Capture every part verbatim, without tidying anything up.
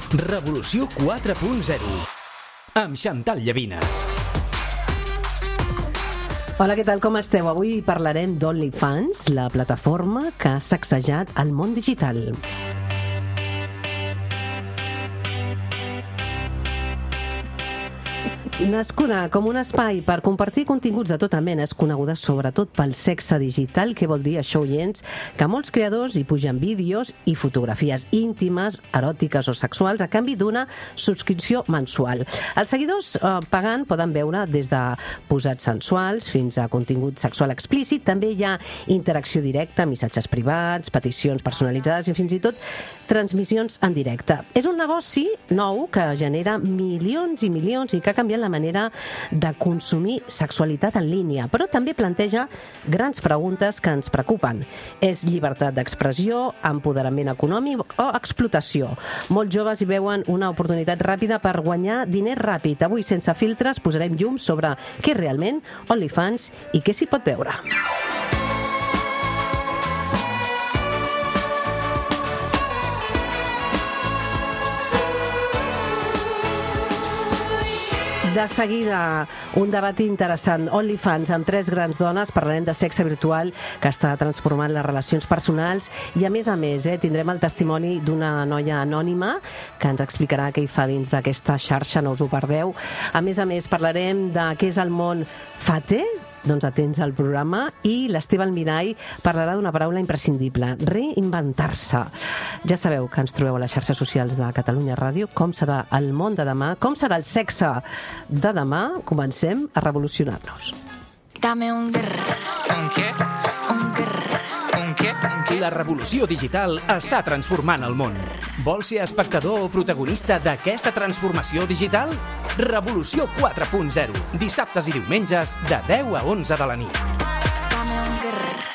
Revolució quatre punt zero amb Chantal Llavina. Hola, què tal, com esteu? Avui parlarem d'OnlyFans, la plataforma que ha sacsejat el món digital. Nascuda com un espai per compartir continguts de tota mena, és coneguda sobretot pel sexe digital. Què vol dir això, oients? Que molts creadors hi pugen vídeos i fotografies íntimes, eròtiques o sexuals a canvi d'una subscripció mensual. Els seguidors eh, pagant poden veure des de posats sensuals fins a contingut sexual explícit. També hi ha interacció directa, missatges privats, peticions personalitzades i fins i tot transmissions en directe. És un negoci nou que genera milions i milions i que ha canviat la manera de consumir sexualitat en línia, però també planteja grans preguntes que ens preocupen. És llibertat d'expressió, empoderament econòmic o explotació? Molts joves hi veuen una oportunitat ràpida per guanyar diners ràpid. Avui, sense filtres, posarem llum sobre què és realment OnlyFans i què s'hi pot veure. De seguida, un debat interessant. OnlyFans, amb tres grans dones, parlarem de sexe virtual que està transformant les relacions personals i, a més a més, eh, tindrem el testimoni d'una noia anònima que ens explicarà què hi fa dins d'aquesta xarxa, no us ho perdeu. A més a més, parlarem de què és el món Fate, doncs atents al programa, i l'Esteve Almirall parlarà d'una paraula imprescindible: reinventar-se. Ja sabeu que ens trobeu a les xarxes socials de Catalunya Ràdio. Com serà el món de demà? Com serà el sexe de demà? Comencem a revolucionar-nos. Dame un grrr. Un què? Un grrr. Un què? Un què? La revolució digital està transformant el món. Vols ser espectador o protagonista d'aquesta transformació digital? Revolució quatre punt zero. Dissabtes i diumenges de deu a onze de la nit. Dame un grrr.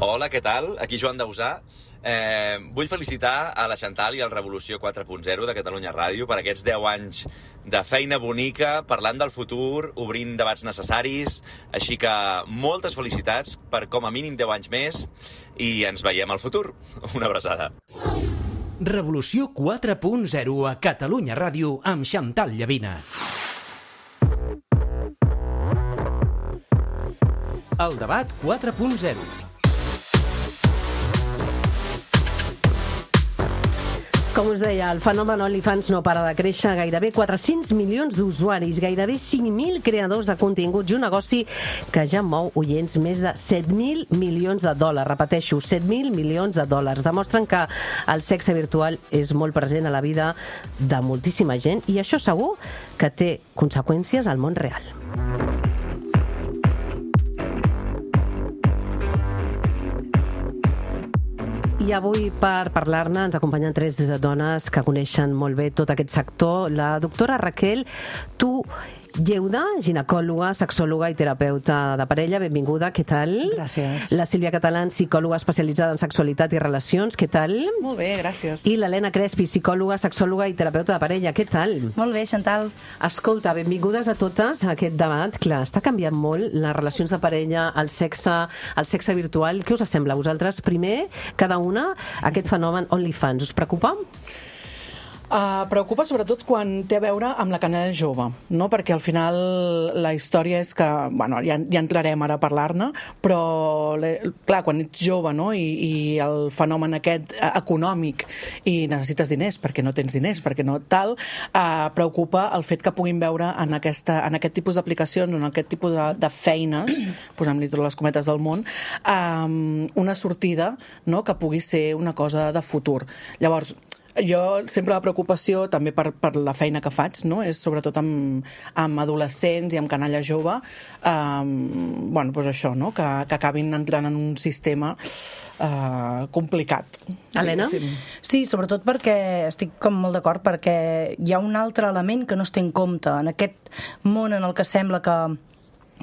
Hola, què tal? Aquí Joan Dausà. Eh, vull felicitar a la Chantal i al Revolució quatre punt zero de Catalunya Ràdio per aquests deu anys de feina bonica, parlant del futur, obrint debats necessaris. Així que moltes felicitats per com a mínim deu anys més i ens veiem al futur. Una abraçada. Revolució quatre punt zero a Catalunya Ràdio amb Chantal Llavina. El debat quatre punt zero. Com us deia, el fenomen OnlyFans no para de créixer. Gairebé quatre-cents milions d'usuaris, gairebé cinc mil creadors de continguts i un negoci que ja mou, oients, més de set mil milions de dòlars. Repeteixo, set mil milions de dòlars. Demostren que el sexe virtual és molt present a la vida de moltíssima gent i això segur que té conseqüències al món real. I avui, per parlar-ne, ens acompanyen tres dones que coneixen molt bé tot aquest sector. La doctora Raquel Tu Lleuda, ginecòloga, sexòloga i terapeuta de parella. Benvinguda, què tal? Gràcies. La Sílvia Catalán, psicòloga especialitzada en sexualitat i relacions, què tal? Molt bé, gràcies. I l'Helena Crespi, psicòloga, sexòloga i terapeuta de parella, què tal? Molt bé, Chantal. Escolta, benvingudes a totes a aquest debat. Clar, està canviant molt les relacions de parella, el sexe, el sexe virtual. Què us sembla a vosaltres? Primer, cada una, aquest fenomen OnlyFans. Us preocupa? Uh, preocupa sobretot quan té a veure amb la canalla jove, no? Perquè al final la història és que, bueno, ja, ja entrarem ara a parlar-ne, però clar, quan ets jove, no? I, i el fenomen aquest econòmic i necessites diners perquè no tens diners, perquè no tal, uh, preocupa el fet que puguin veure en, aquesta, en aquest tipus d'aplicacions, en aquest tipus de, de feines, posem-li totes les cometes del món, um, una sortida, no? Que pugui ser una cosa de futur. Llavors, jo sempre la preocupació, també per, per la feina que faig, no? És sobretot amb, amb adolescents i amb canalla jove, um, bueno, doncs això, no? Que, que acabin entrant en un sistema uh, complicat. Helena? Sí. Sí, sobretot perquè estic com molt d'acord, perquè hi ha un altre element que no es té en compte en aquest món en el que sembla que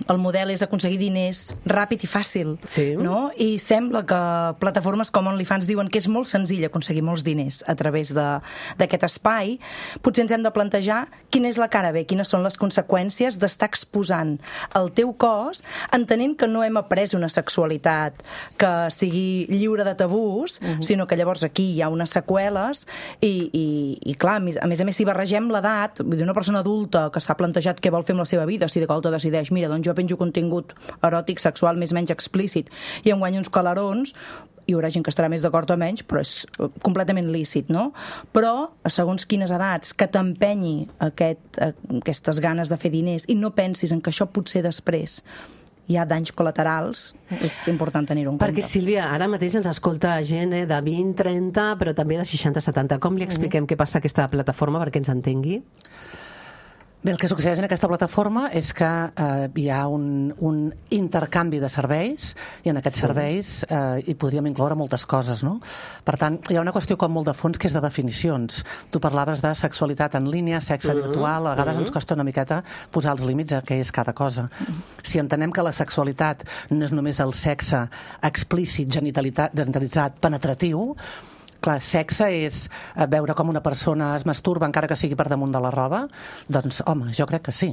el model és aconseguir diners ràpid i fàcil, Sí. no? I sembla que plataformes com OnlyFans diuen que és molt senzill aconseguir molts diners a través de- d'aquest espai. Potser ens hem de plantejar quina és la cara B, quines són les conseqüències d'estar exposant el teu cos, entenent que no hem après una sexualitat que sigui lliure de tabús, uh-huh. sinó que llavors aquí hi ha unes seqüeles i, i, i clar, a més a més, a més si barregem l'edat, vull dir, una persona adulta que s'ha plantejat què vol fer amb la seva vida, si de cop decideix, mira, doncs jo penjo contingut eròtic, sexual, més o menys explícit, i em guanyo uns calarons, hi haurà gent que estarà més d'acord o menys, però és completament lícit, no? Però, segons quines edats, que t'empenyi aquest, aquestes ganes de fer diners i no pensis en que això potser després hi ha danys col·laterals, és important tenir-ho en Perquè, compte. Sílvia, ara mateix ens escolta gent eh, de vint, trenta, però també de seixanta, setanta. Com li expliquem què passa a aquesta plataforma perquè ens entengui? Bé, el que succeeix en aquesta plataforma és que eh, hi ha un, un intercanvi de serveis i en aquests sí. serveis eh, hi podríem incloure moltes coses, no? Per tant, hi ha una qüestió com molt de fons que és de definicions. Tu parlaves de sexualitat en línia, sexe uh-huh. virtual, a vegades uh-huh. ens costa una miqueta posar els límits a què és cada cosa. Uh-huh. Si entenem que la sexualitat no és només el sexe explícit, genitalitzat, penetratiu, clar, sexe és veure com una persona es masturba encara que sigui per damunt de la roba, doncs, home, jo crec que sí.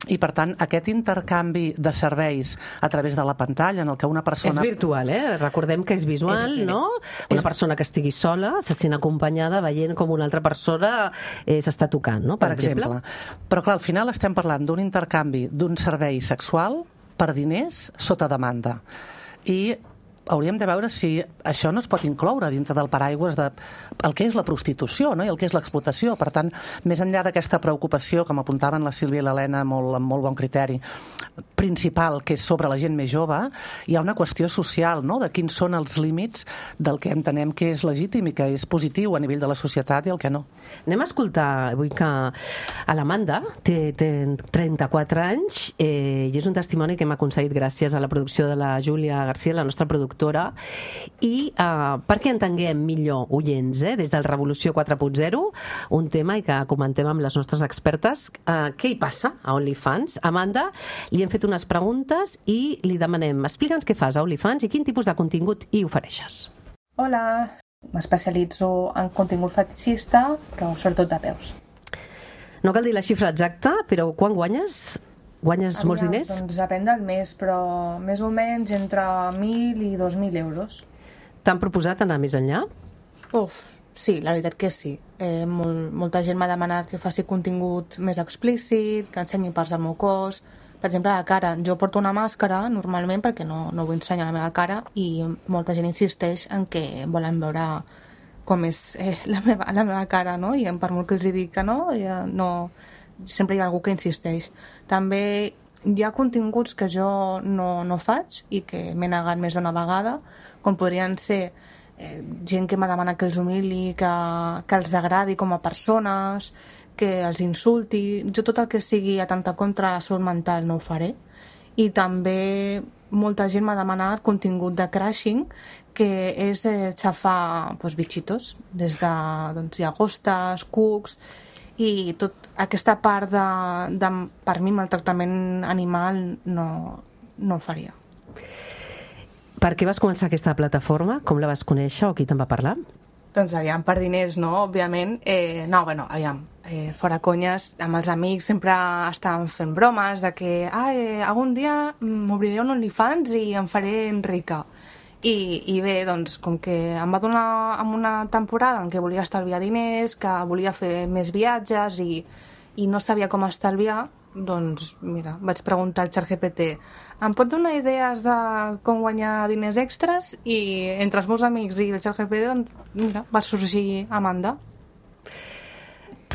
I, per tant, aquest intercanvi de serveis a través de la pantalla en el que una persona... És virtual, eh? Recordem que és visual, és, no? Una és... persona que estigui sola se sent acompanyada veient com una altra persona eh, s'està tocant, no? Per, per exemple. exemple. Però, clar, al final estem parlant d'un intercanvi d'un servei sexual per diners sota demanda. I hauríem de veure si això no es pot incloure dintre del paraigües de el que és la prostitució, no? I el que és l'explotació. Per tant, més enllà d'aquesta preocupació, com apuntaven la Sílvia i l'Helena molt, amb molt bon criteri, principal, que és sobre la gent més jove, hi ha una qüestió social, no?, de quins són els límits del que entenem que és legítim i que és positiu a nivell de la societat i el que no. Anem a escoltar, vull que a l'Amanda té, té trenta-quatre anys eh, i és un testimoni que hem aconseguit gràcies a la producció de la Júlia García, la nostra productora, i eh, perquè entenguem millor oients, eh, des del Revolució quatre punt zero, un tema i que comentem amb les nostres expertes, eh, què hi passa a OnlyFans? Amanda, li hem fet unes preguntes i li demanem, explica'ns què fas a OnlyFans i quin tipus de contingut hi ofereixes. Hola, m'especialitzo en contingut fetixista, però sobretot de peus. No cal dir la xifra exacta, però quan guanyes? Guanyes Aviam, molts diners? Doncs depèn del mes, però més o menys entre mil i dos mil euros. T'han proposat anar més enllà? Uf, sí, la veritat que sí. Eh, molt, molta gent m'ha demanat que faci contingut més explícit, que ensenyi parts del meu cos. Per exemple, la cara. Jo porto una màscara normalment perquè no, no vull ensenyar la meva cara i molta gent insisteix en que volen veure com és eh, la, meva, la meva cara, no? I per molt que els dic que no, ja no... sempre hi ha algú que insisteix. També hi ha continguts que jo no, no faig i que m'he negat més d'una vegada, com podrien ser eh, gent que m'ha demanat que els humili, que, que els agradi com a persones, que els insulti. Jo tot el que sigui atemptar contra la salut mental no ho faré. I també molta gent m'ha demanat contingut de crashing, que és eh, xafar doncs, bitxitos, des de doncs, llagostes, cucs, i tot aquesta part de, de per mi, maltractament animal no, no ho faria. Per què vas començar aquesta plataforma? Com la vas conèixer o qui te'n va parlar? Doncs aviam, per diners, no? Òbviament. Eh, no, bueno, aviam, eh, fora conyes, amb els amics sempre estàvem fent bromes de que ah, eh, algun dia m'obriré un OnlyFans i em faré rica. I, i bé, doncs, com que em va donar en una temporada en què volia estalviar diners, que volia fer més viatges i, i no sabia com estalviar, doncs, mira, vaig preguntar al ChatGPT, em pot donar idees de com guanyar diners extras? I entre els meus amics i el ChatGPT, doncs, mira, va sorgir Amanda.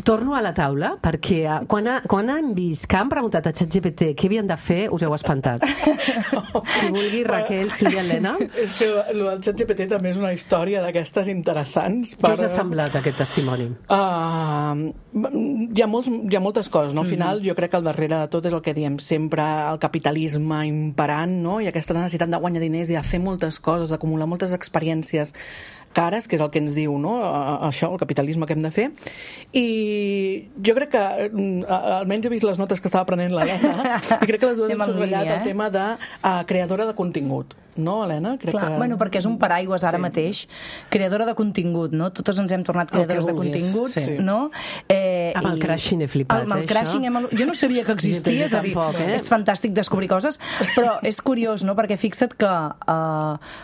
Torno a la taula, perquè quan, ha, quan han vist que han preguntat a ChatGPT què havien de fer, us heu espantat. Si vulgui, Raquel, Sílvia, Helena. És que el del ChatGPT també és una història d'aquestes interessants. Per... Què us ha semblat aquest testimoni? Uh, hi, ha molts, hi ha moltes coses, no? Al final, mm-hmm. jo crec que al darrere de tot és el que diem sempre, el capitalisme imperant, no? I aquesta necessitat de guanyar diners i de fer moltes coses, d'acumular moltes experiències cares, que és el que ens diu, no? Això, el capitalisme que hem de fer. I jo crec que, almenys he vist les notes que estava prenent l'Helena, i crec que les dues hem subratllat eh? el tema de uh, creadora de contingut. No, Helena? Crec Clar, que... bueno, perquè és un paraigües ara sí. mateix. Creadora de contingut, no? Totes ens hem tornat creadores de contingut, sí. no? Eh, amb el i... crashing he flipat, amb el crashing hem... Jo no sabia que existia, és a dir, tampoc, eh? és fantàstic descobrir coses, però és curiós, no? Perquè fixa't que eh,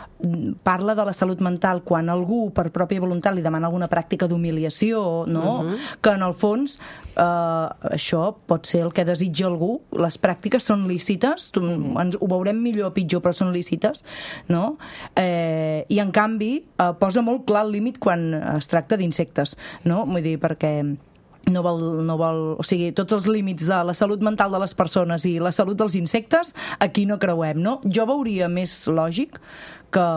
parla de la salut mental quan algú, per pròpia voluntat, li demana alguna pràctica d'humiliació, no? Uh-huh. Que en el fons eh, això pot ser el que desitja algú. Les pràctiques són lícites, tu, uh-huh. ens, ho veurem millor o pitjor, però són lícites, no? Eh, i en canvi eh, posa molt clar el límit quan es tracta d'insectes, no? Vull dir, perquè no vol, no vol, o sigui, tots els límits de la salut mental de les persones i la salut dels insectes, aquí no creuem, no? Jo veuria més lògic que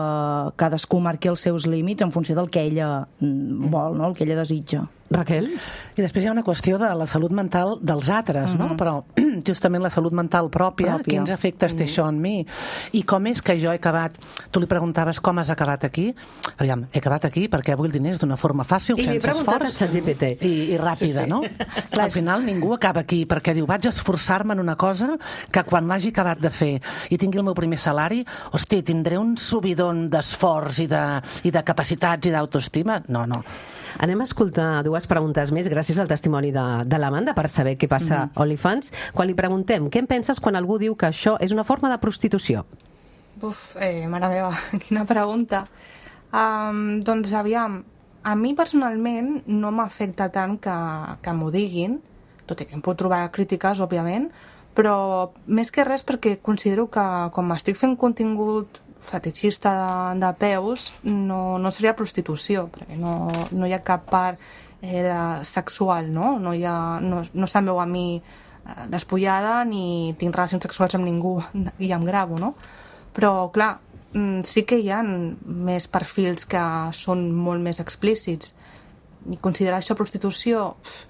cadascú marqui els seus límits en funció del que ella vol, no? El que ella desitja. Raquel? I després hi ha una qüestió de la salut mental dels altres, mm-hmm. no? Però justament la salut mental pròpia, pròpia. Quins efectes té mm-hmm. això en mi? I com és que jo he acabat... Tu li preguntaves com has acabat aquí? Aviam, he acabat aquí perquè vull diners d'una forma fàcil, I sense esforç i, i ràpida, sí, sí. no? Al final ningú acaba aquí perquè diu, vaig esforçar-me en una cosa que quan l'hagi acabat de fer i tingui el meu primer salari, hosti, tindré un subidon d'esforç i de, i de capacitats i d'autoestima? No, no. Anem a escoltar dues preguntes més gràcies al testimoni de, de l'Amanda per saber què passa mm-hmm. a OnlyFans. Quan li preguntem, què en penses quan algú diu que això és una forma de prostitució? Uf, eh, mare meva, quina pregunta. Um, doncs aviam, a mi personalment no m'afecta tant que, que m'ho diguin, tot i que em puc trobar crítiques, òbviament, però més que res perquè considero que com estic fent contingut fetichista de, de peus, no, no seria prostitució, perquè no, no hi ha cap part eh, de sexual, no? No, hi ha, no, no se'm veu a mi eh, despullada ni tinc relacions sexuals amb ningú i em gravo, no? Però, clar, sí que hi ha més perfils que són molt més explícits. I considerar això prostitució,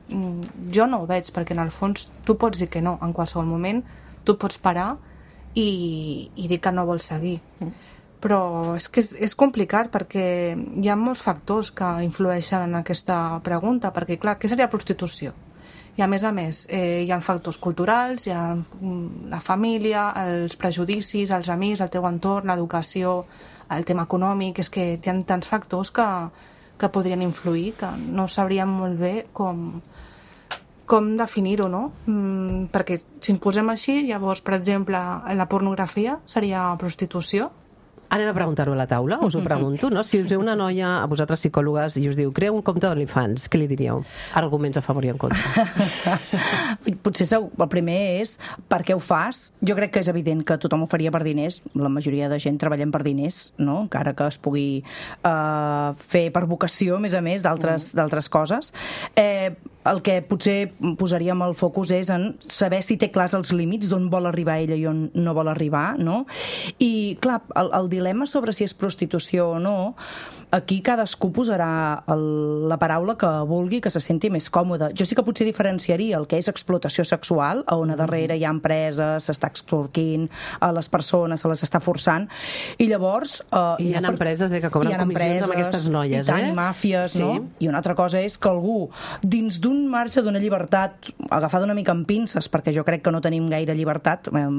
jo no ho veig, perquè en el fons tu pots dir que no, en qualsevol moment tu pots parar i, i dir que no vols seguir. Però és que és, és complicat perquè hi ha molts factors que influeixen en aquesta pregunta, perquè clar, què seria prostitució? I a més a més, eh, hi ha factors culturals, hi ha la família, els prejudicis, els amics, el teu entorn, l'educació, el tema econòmic, és que hi ha tants factors que, que podrien influir, que no sabríem molt bé com, com definir-ho, no? Mm, perquè si ens posem així, llavors, per exemple, la pornografia seria prostitució. Anem a preguntar-ho a la taula, us ho pregunto, no? Si us ve una noia, a vosaltres psicòlogues, i us diu, crea un compte d'OnlyFans, què li diríeu? Arguments a favor i en contra. Potser el primer és per què ho fas. Jo crec que és evident que tothom ho faria per diners. La majoria de gent treballem per diners, no? Encara que es pugui uh, fer per vocació, a més a més, d'altres mm. coses. Eh, el que potser posaríem el focus és en saber si té clars els límits d'on vol arribar ella i on no vol arribar, no? I, clar, el, el dilema sobre si és prostitució o no, aquí cadascú posarà el, la paraula que vulgui, que se senti més còmode. Jo sí que potser diferenciaria el que és explotació sexual, on a darrere hi ha empreses, s'està extorquint a les persones, se les està forçant, i llavors... Eh, I hi ha, hi ha empreses eh, que cobren comissions amb aquestes noies, i tant, eh? I màfies, sí. no? I una altra cosa és que algú, dins d'un marge d'una llibertat agafada una mica amb pinces, perquè jo crec que no tenim gaire llibertat, eh,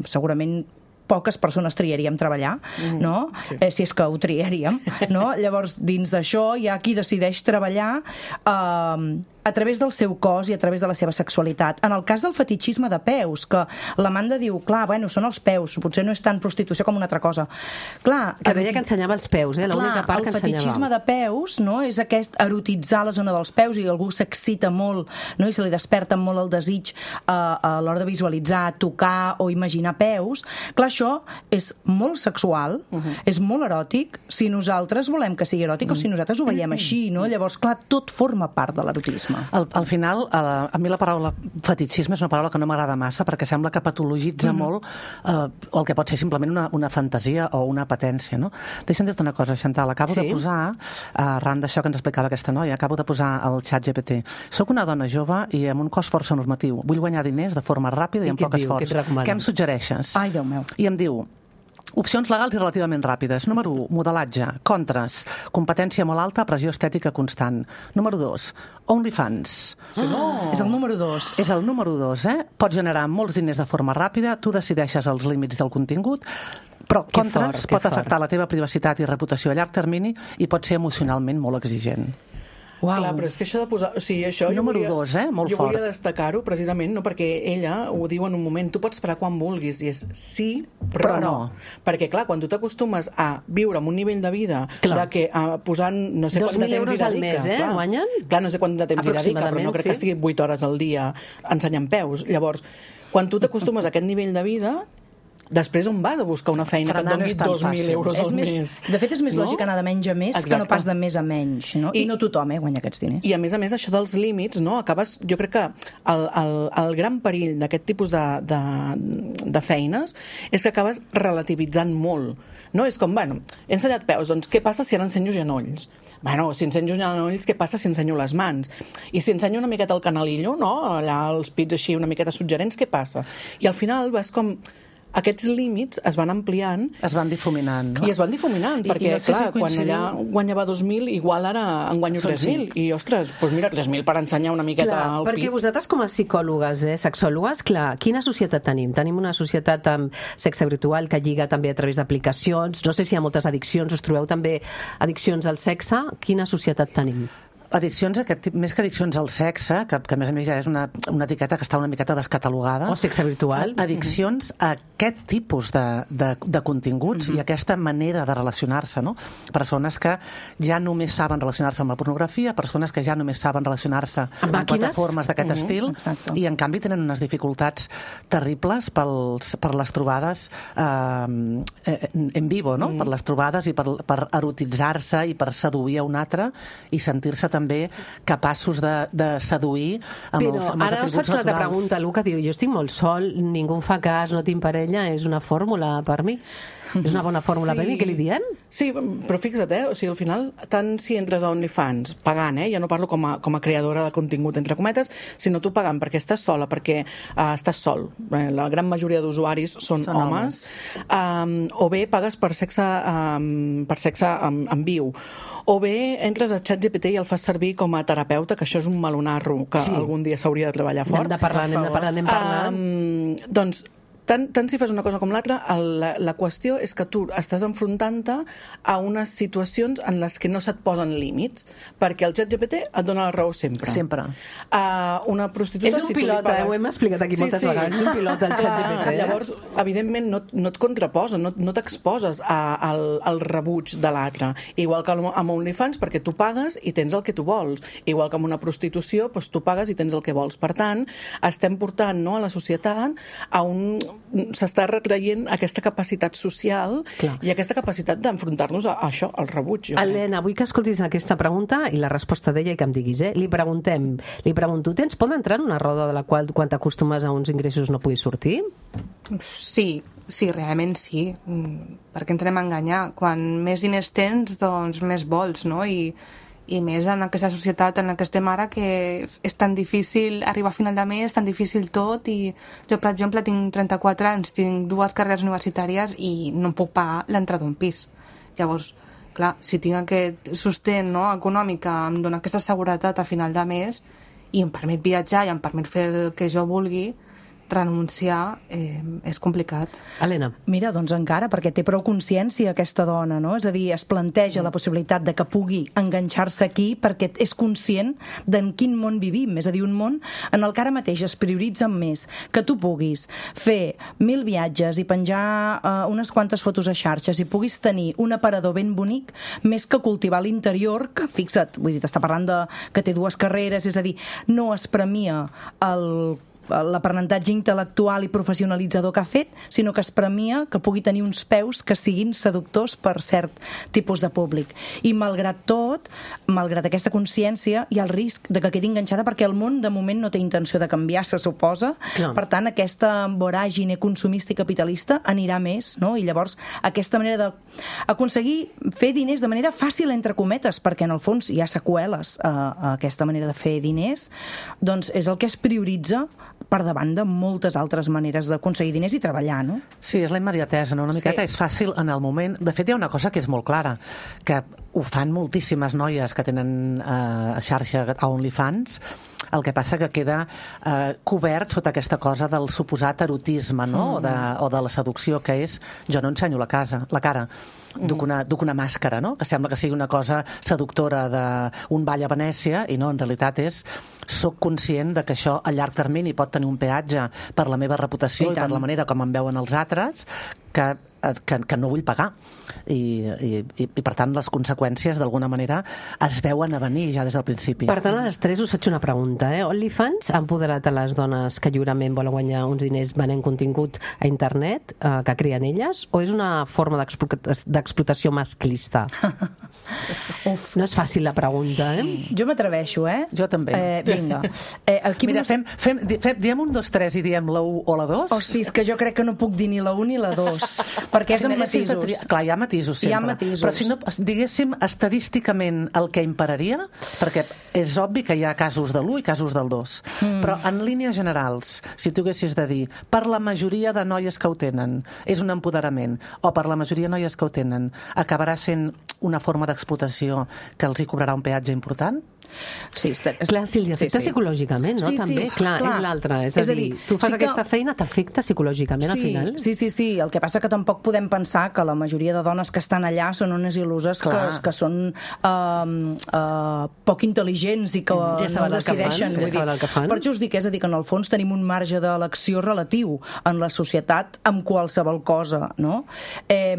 segurament poques persones triaríem treballar, mm, no? Sí. Eh, si és que ho triaríem, no? Llavors, dins d'això hi ha qui decideix treballar eh, a través del seu cos i a través de la seva sexualitat. En el cas del fetichisme de peus, que l'Amanda diu, clar, bueno, són els peus, potser no és tan prostitució com una altra cosa. Clar, que deia que ensenyava els peus, eh? L'única part que ensenyava. El fetichisme de peus, no?, és aquest erotitzar la zona dels peus i algú s'excita molt, no?, i se li desperta molt el desig eh, a l'hora de visualitzar, tocar o imaginar peus. Clar, això és molt sexual, uh-huh. és molt eròtic, si nosaltres volem que sigui eròtic uh-huh. o si nosaltres ho veiem així, no? Llavors, clar, tot forma part de l'erotisme. Al, al final, a, a mi la paraula fetichisme és una paraula que no m'agrada massa perquè sembla que patologitza mm-hmm. molt eh, o el que pot ser simplement una, una fantasia o una apetència, no? Deixa'm dir-te una cosa, Chantal, acabo sí? de posar, arran d'això que ens explicava aquesta noia, acabo de posar al xat G P T. Soc una dona jove i amb un cos força normatiu. Vull guanyar diners de forma ràpida i, I amb poc esforç. Què em suggereixes? Ai, Déu meu. I em diu, opcions legals i relativament ràpides. Número u, modelatge. Contres, competència molt alta, pressió estètica constant. Número dos, OnlyFans. Si no... És el número dos. És el número dos, eh? Pots generar molts diners de forma ràpida, tu decideixes els límits del contingut, però Que contres fort, que pot afectar la teva privacitat i reputació a llarg termini i pot ser emocionalment molt exigent. Uau. Clar, però és que això de posar... O sigui, això Número jo volia, dos, eh? Molt jo fort. volia destacar-ho precisament, no? Perquè ella ho diu en un moment, tu pots parar quan vulguis, i és sí, però, Però no. no. Perquè, clar, quan tu t'acostumes a viure amb un nivell de vida Clar. de que uh, posant no sé dos quant de mil temps euros hi al dedica... mes, eh, clar, guanyen? Clar, no sé quant de temps hi dedica, però no Aproximadament, crec sí. que estigui vuit hores al dia ensenyant peus. Llavors, quan tu t'acostumes a aquest nivell de vida, després on vas a buscar una feina Frenar que et no doni és tan dos mil fàcil. euros És al més, mes? de fet, és més No? lògic anar de menys a més que Exacte. no pas de més a menys. No? I, I- I no tothom eh, guanya aquests diners. I a més a més això dels límits, no? Acabes, jo crec que el, el, el gran perill d'aquest tipus de, de, de feines és que acabes relativitzant molt. No? És com, bueno, he ensenyat peus, doncs què passa si ara ensenyo genolls? Bueno, si ensenyo genolls, què passa si ensenyo les mans? I si ensenyo una miqueta el canalillo, no? Allà els pits així una miqueta suggerents, què passa? I al final vas com... Aquests límits es van ampliant Es van difuminant, no? i es van difuminant, I- perquè, i no sé clar, si quan coincidiu- allà guanyava dos mil, igual ara en guanyo Són tres mil. cinc. I, ostres, doncs mira, tres mil per ensenyar una miqueta Clar, al perquè pit. vosaltres com a psicòlogues, eh, sexòlogues, clar, quina societat tenim? Tenim una societat amb sexe virtual que lliga també a través d'aplicacions, no sé si hi ha moltes addiccions, us trobeu també addiccions al sexe, quina societat tenim? Addiccions, aquest, tip- més que addiccions al sexe, que, que a més a més ja és una, una etiqueta que està una miqueta descatalogada. O sexe virtual. A- Addiccions a aquest tipus de, de, de continguts Mhm. i aquesta manera de relacionar-se, no? Persones que ja només saben relacionar-se amb la pornografia, persones que ja només saben relacionar-se Amb amb, màquines. plataformes d'aquest Mhm, estil, exacte. i en canvi tenen unes dificultats terribles pels, per les trobades eh, en, en vivo, no? Per les trobades i per, per erotitzar-se i per seduir a un altre i sentir-se també capaços de, de seduir amb Però els, amb els ara us atributs faig l'altra naturals. pregunta, Luca, diu, jo estic molt sol, ningú em fa cas, no tinc parella, és una fórmula per mi? És una bona fórmula per mi, què li diem? Sí, però fixa't, eh? O sigui, al final, tant si entres a OnlyFans pagant, eh? Ja no parlo com a, com a creadora de contingut, entre cometes, sinó tu pagant perquè estàs sola, perquè uh, estàs sol. Eh, la gran majoria d'usuaris són, Són homes. Um, o bé pagues per sexe, um, per sexe en, en viu. O bé entres a ChatGPT i el fas servir com a terapeuta, que això és un melonarro que Sí. algun dia s'hauria de treballar fort. Anem de parlar, anem de parlar, anem parlant. Um, doncs, tant, tant si fas una cosa com l'altra, el- la, la qüestió és que tu estàs enfrontant-te a unes situacions en les que no se't posen límits, perquè el ChatGPT et dona la raó sempre. Sempre. Uh, una prostituta... És un si tu li pilot, eh? Ho hem explicat aquí moltes vegades, és un pilot del ChatGPT, eh? Llavors, evidentment, no, no et contraposa, no, no t'exposes a- al, al rebuig de l'altre. Igual que amb OnlyFans, perquè tu pagues i tens el que tu vols. Igual que amb una prostitució, doncs tu pagues i tens el que vols. Per tant, estem portant, no, a la societat a un... s'està retraient aquesta capacitat social Clar. i aquesta capacitat d'enfrontar-nos a, a això, al rebuig. jo crec. Helena, vull que escoltis aquesta pregunta i la resposta d'ella i que em diguis, eh? Li preguntem, li pregunto, tens por d'entrar en una roda de la qual quan t'acostumes a uns ingressos no puguis sortir? Sí, sí, realment sí. Mm, Per què ens anem a enganyar? Quan més diners tens, doncs més vols, no? I, i més en aquesta societat en la que estem ara, que és tan difícil arribar a final de mes, tan difícil tot, i jo, per exemple, tinc trenta-quatre anys, tinc dues carreres universitàries i no em puc pagar l'entrada d'un pis. Llavors, clar, si tinc aquest sostén, no, econòmic que em dona aquesta seguretat a final de mes i em permet viatjar i em permet fer el que jo vulgui, renunciar eh, és complicat. Helena. Mira, doncs encara, perquè té prou consciència aquesta dona, no? És a dir, es planteja la possibilitat de que pugui enganxar-se aquí perquè és conscient d'en quin món vivim, és a dir, un món en el que ara mateix es prioritza més que tu puguis fer mil viatges i penjar eh, unes quantes fotos a xarxes i puguis tenir un aparador ben bonic més que cultivar l'interior, que fixa't, vull dir, t'està parlant de que té dues carreres, és a dir, no es premia el l'aprenentatge intel·lectual i professionalitzador que ha fet, sinó que es premia que pugui tenir uns peus que siguin seductors per cert tipus de públic. I malgrat tot, malgrat aquesta consciència, hi ha el risc de que quedi enganxada perquè el món de moment no té intenció de canviar, se suposa. Clar. Per tant, aquesta voràgine consumista i capitalista anirà més, no? I llavors aquesta manera d'aconseguir fer diners de manera fàcil, entre cometes, perquè en el fons hi ha seqüeles a, a aquesta manera de fer diners, doncs és el que es prioritza per davant de moltes altres maneres d'aconseguir diners i treballar, no? Sí, és la immediatesa, no? Una miqueta Sí. és fàcil en el moment. De fet, hi ha una cosa que és molt clara, que ho fan moltíssimes noies que tenen eh, xarxa a OnlyFans. El que passa que queda eh, cobert sota aquesta cosa del suposat erotisme, no? Mm. O, de, o de la seducció, que és jo no ensenyo la, casa, la cara, duc una, duc una màscara, no? Que sembla que sigui una cosa seductora d'un ball a Venècia, i no, en realitat és soc conscient de que això a llarg termini pot tenir un peatge per la meva reputació i, i per la manera com em veuen els altres, que que, que no vull pagar I, i, i, i per tant les conseqüències d'alguna manera es veuen a venir ja des del principi. Per tant, a les tres us faig una pregunta, eh? OnlyFans ha empoderat a les dones que lliurement volen guanyar uns diners venent contingut a internet eh, que creen elles, o és una forma d'explotació masclista? Uf. No és fàcil la pregunta, eh? Jo m'atreveixo, eh? Jo també. Eh, vinga. Eh, aquí Mira, fem, fem, fem, diem un, dos, tres i diem la u o la dos? Hosti, és que jo crec que no puc dir ni la u ni la dos, perquè és Si amb n'haguessis de matisos. triar- Clar, hi ha matisos sempre. Hi ha matisos. Però si no, diguéssim, estadísticament el que imperaria, perquè és obvi que hi ha casos de l'u i casos del dos, mm. però en línies generals, si tu haguessis de dir, per la majoria de noies que ho tenen, és un empoderament, o per la majoria de noies que ho tenen, acabarà sent una forma d'explotació que els hi cobrarà un peatge important? Sí, està... Clar, si els afecta Sí, sí. psicològicament, no? Sí, sí, També, clar, clar. és l'altra. És, És a a dir, dir, tu fas sí que- aquesta feina, t'afecta psicològicament al Sí, final? sí, sí, sí. El que passa que tampoc podem pensar que la majoria de dones que estan allà són unes il·luses que, Clar. que són uh, uh, poc intel·ligents i que Ja no saben el que fan, decideixen. ja Vull dir, saben el que fan. Per això us dic, és a dir, que en el fons tenim un marge d'elecció relatiu en la societat amb qualsevol cosa, no? Eh,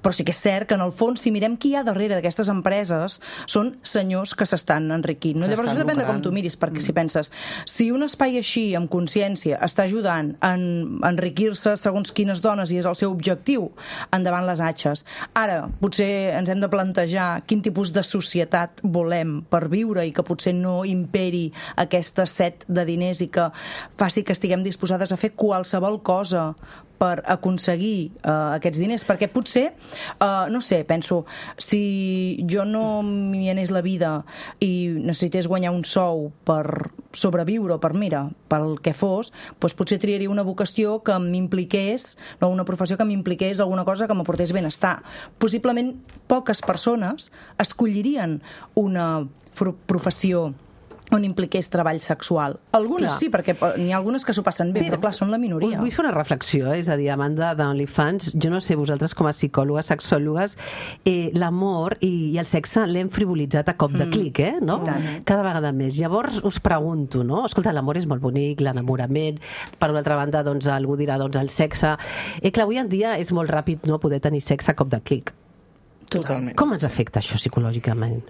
però sí que és cert que en el fons, si mirem qui hi ha darrere d'aquestes empreses, són senyors que s'estan enriquint. No? Que Llavors, estan depèn de com lucrant. tu miris, perquè si penses, si un espai així, amb consciència, està ajudant a en- a enriquir-se segons quines dones i és el seu objectiu, endavant les atxes. Ara, potser ens hem de plantejar quin tipus de societat volem per viure i que potser no imperi aquesta set de diners i que faci que estiguem disposades a fer qualsevol cosa per aconseguir uh, aquests diners, perquè potser, uh, no sé, penso, si jo no m'hi anés la vida i necessités guanyar un sou per sobreviure o per, mira, pel que fos, doncs potser triaria una vocació que m'impliqués, no, una professió que m'impliqués alguna cosa que m'aportés benestar. Possiblement poques persones escollirien una pro- professió on impliqués treball sexual. Algunes Clar. sí, perquè n'hi ha algunes que s'ho passen bé, però clar, són la minoria. Us vull fer una reflexió, eh? És a dir, a banda d'OnlyFans, jo no sé, vosaltres com a psicòlogues, sexòlogues, eh, l'amor i, i el sexe l'hem frivolitzat a cop de clic, eh? No? Cada vegada més. Llavors us pregunto, no? Escolta, l'amor és molt bonic, l'enamorament, per una altra banda, doncs, algú dirà, doncs, el sexe... Eh, clar, avui en dia és molt ràpid, no?, poder tenir sexe a cop de clic. Totalment. Com ens afecta això psicològicament?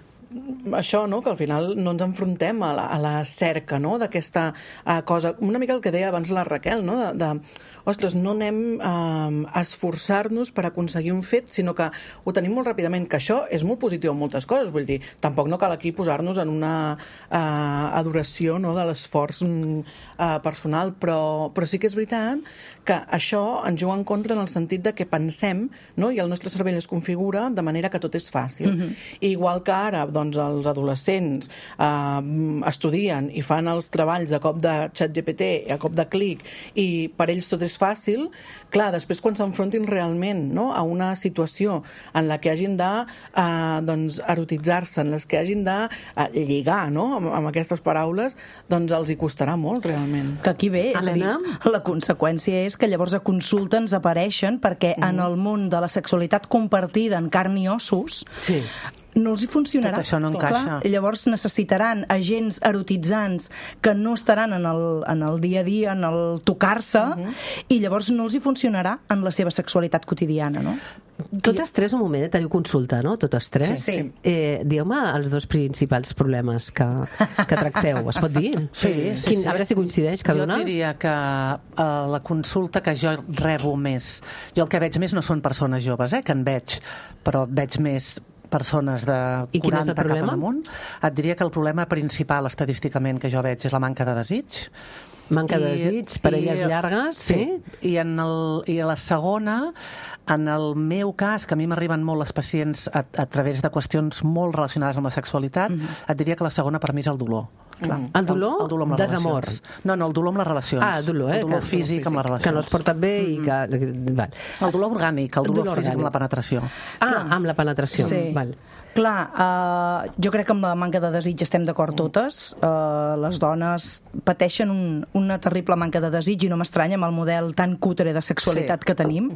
Això, no?, que al final no ens enfrontem a la, a la cerca, no?, d'aquesta uh, cosa. Una mica el que deia abans la Raquel, no?, de, de ostres, no anem uh, a esforçar-nos per aconseguir un fet, sinó que ho tenim molt ràpidament, que això és molt positiu en moltes coses, vull dir, tampoc no cal aquí posar-nos en una uh, adoració, no?, de l'esforç uh, personal, però, però sí que és veritat que això ens juga en contra en el sentit de que pensem, no?, i el nostre cervell es configura de manera que tot és fàcil. Mm-hmm. Igual que ara, doncs, els adolescents eh, estudien i fan els treballs a cop de ChatGPT, a cop de clic, i per ells tot és fàcil, clar, després quan s'enfrontin realment, no?, a una situació en la que hagin de eh, doncs, erotitzar-se, en les que hagin de eh, lligar, no?, amb, amb aquestes paraules, doncs els hi costarà molt, realment. Que aquí ve, és Helena? a dir, la conseqüència és que llavors a consulta ens apareixen perquè mm. en el món de la sexualitat compartida en carn i ossos Sí. no els hi funcionarà. Tot això no encaixa. Clar, llavors necessitaran agents erotitzants que no estaran en el, en el dia a dia, en el tocar-se, uh-huh. i llavors no els hi funcionarà en la seva sexualitat quotidiana, no? Totes tres, un moment, teniu consulta, no? Totes tres? Sí, sí. Eh, Dieu-me els dos principals problemes que, que tracteu. Es pot dir? Sí, sí, Quin, sí. A veure si coincideix cada jo una. Jo diria que uh, la consulta que jo rebo més, jo el que veig més no són persones joves, eh, que en veig, però veig més persones de I quin és el quaranta cap problema? amunt. Et diria que el problema principal estadísticament que jo veig és la manca de desig. Manca de I- desig, parelles i- llargues, sí? I, en el, I a la segona, en el meu cas, que a mi m'arriben molt les pacients a, a través de qüestions molt relacionades amb la sexualitat, mm-hmm. et diria que la segona per mi és el dolor. Clar. El dolor, el, el dolor amb les desamor. relacions. No, no, el dolor amb les relacions. Ah, el dolor, eh? El dolor que, físic, físic amb les relacions. Que no es porta bé i que... Val. El dolor orgànic, el dolor, dolor físic orgànic. amb la penetració. Ah, Clar. amb la penetració. Sí. Val. Clar, uh, jo crec que amb la manca de desig estem d'acord totes. Uh, les dones pateixen un, una terrible manca de desig i no m'estranya amb el model tan cutre de sexualitat sí. que tenim.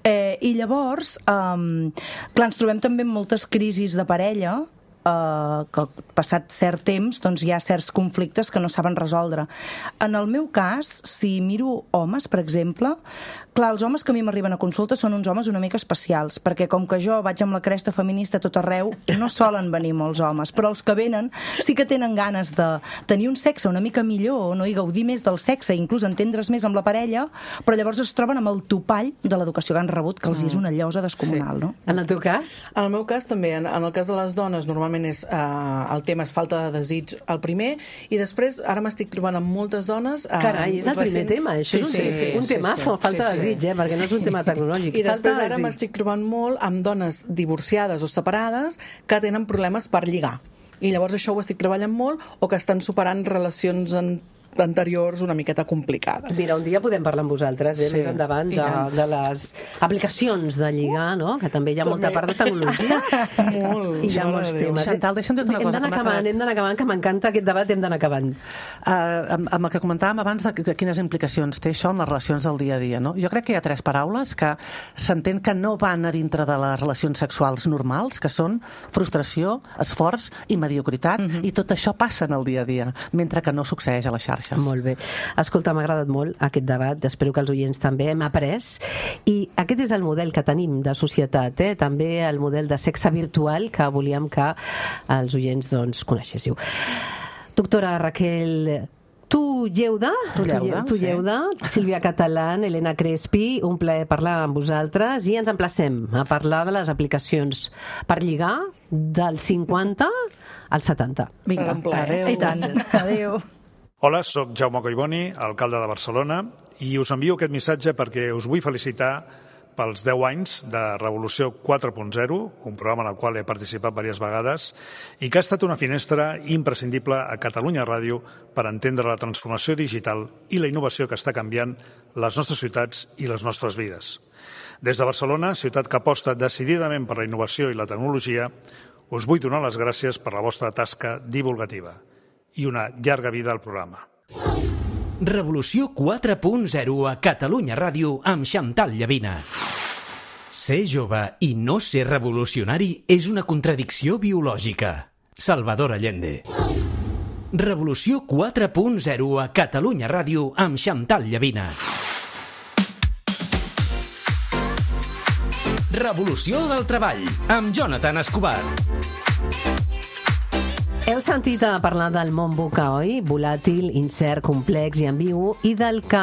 Eh, I llavors, um, clar, ens trobem també amb moltes crisis de parella, Uh, que passat cert temps doncs hi ha certs conflictes que no saben resoldre. En el meu cas, si miro homes, per exemple, clar, els homes que a mi m'arriben a consulta són uns homes una mica especials, perquè com que jo vaig amb la cresta feminista tot arreu, no solen venir molts homes, però els que venen sí que tenen ganes de tenir un sexe una mica millor, no? I gaudir més del sexe, inclús entendre's més amb la parella, però llavors es troben amb el topall de l'educació que han rebut, que els és una llosa descomunal, sí. no? En el teu cas? En el meu cas també, en, en el cas de les dones, normalment és, uh, el tema és falta de desig el primer, i després ara m'estic trobant amb moltes dones... Uh, Carai, és el primer tema, això sí, és un, sí, sí, un temazo, sí, sí, falta de sí, desig, eh, perquè no és un tema tecnològic. I després falta ara desig. m'estic trobant molt amb dones divorciades o separades que tenen problemes per lligar. I llavors això ho estic treballant molt, o que estan superant relacions en anteriors una miqueta complicades. Mira, un dia podem parlar amb vosaltres, eh, sí. més endavant, de, de les aplicacions de lligar, no? Que també hi ha també. molta part de tecnologia molt, i hi ha molts temes. Chantal, deixa'm dir una hem cosa. Hem d'anar acabant, hem d'anar acabant, que m'encanta aquest debat, hem d'anar acabant. Uh, amb, amb el que comentàvem abans de, de quines implicacions té això en les relacions del dia a dia, no? Jo crec que hi ha tres paraules que s'entén que no van a dintre de les relacions sexuals normals, que són frustració, esforç i mediocritat, mm-hmm. i tot això passa en el dia a dia, mentre que no succeeix a la xarxa. Molt bé. Escolta, m'ha agradat molt aquest debat, espero que els oients també hem après, i aquest és el model que tenim de societat, eh? També el model de sexe virtual que volíem que els oients doncs, coneixéssiu. Doctora Raquel Tu Lleuda, tu Lleuda, tu Lleuda sí. Sílvia Catalán, Helena Crespi, un plaer parlar amb vosaltres i ens emplacem a parlar de les aplicacions per lligar del cinquanta al setanta. Vinga, adéu. I tant. Adéu. Hola, sóc Jaume Collboni, alcalde de Barcelona, i us envio aquest missatge perquè us vull felicitar pels deu anys de Revolució quatre punt zero, un programa en el qual he participat diverses vegades i que ha estat una finestra imprescindible a Catalunya Ràdio per entendre la transformació digital i la innovació que està canviant les nostres ciutats i les nostres vides. Des de Barcelona, ciutat que aposta decididament per la innovació i la tecnologia, us vull donar les gràcies per la vostra tasca divulgativa i una llarga vida al programa. Revolució quatre punt zero a Catalunya Ràdio amb Chantal Llavina. Ser jove i no ser revolucionari és una contradicció biològica. Salvador Allende. Revolució quatre punt zero a Catalunya Ràdio amb Chantal Llavina. Revolució del treball amb Jonathan Escobar. Heu sentit a parlar del món VUCA, oi? Volàtil, incert, complex i ambigu, i del que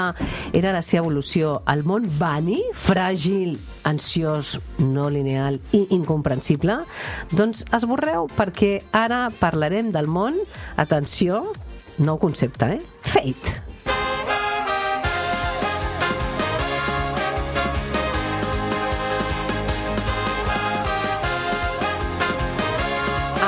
era la seva evolució. El món Bunny, fràgil, ansiós, no lineal i incomprensible? Doncs esborreu, perquè ara parlarem del món, atenció, nou concepte, eh? Fate.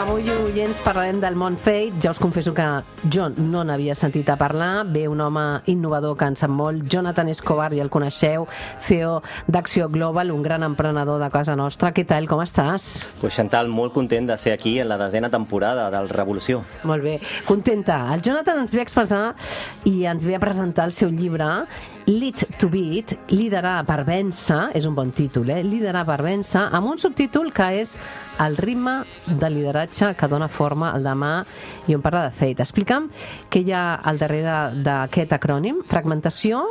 Avui, oients, parlarem del món Fate. Ja us confesso que jo no n'havia sentit a parlar. Ve un home innovador que en sap molt, Jonathan Escobar, ja el coneixeu, C E O d'Acció Global, un gran emprenedor de casa nostra. Què tal, com estàs? Pues Chantal, molt content de ser aquí en la desena temporada del Revolució. Molt bé, contenta. El Jonathan ens ve a expressar i ens ve a presentar el seu llibre Lead to Beat, liderar per vèncer, és un bon títol, eh? Liderar per vèncer, amb un subtítol que és el ritme de lideratge que dona forma al demà i on parla de Fate. Explica'm què hi ha al darrere d'aquest acrònim. Fragmentació,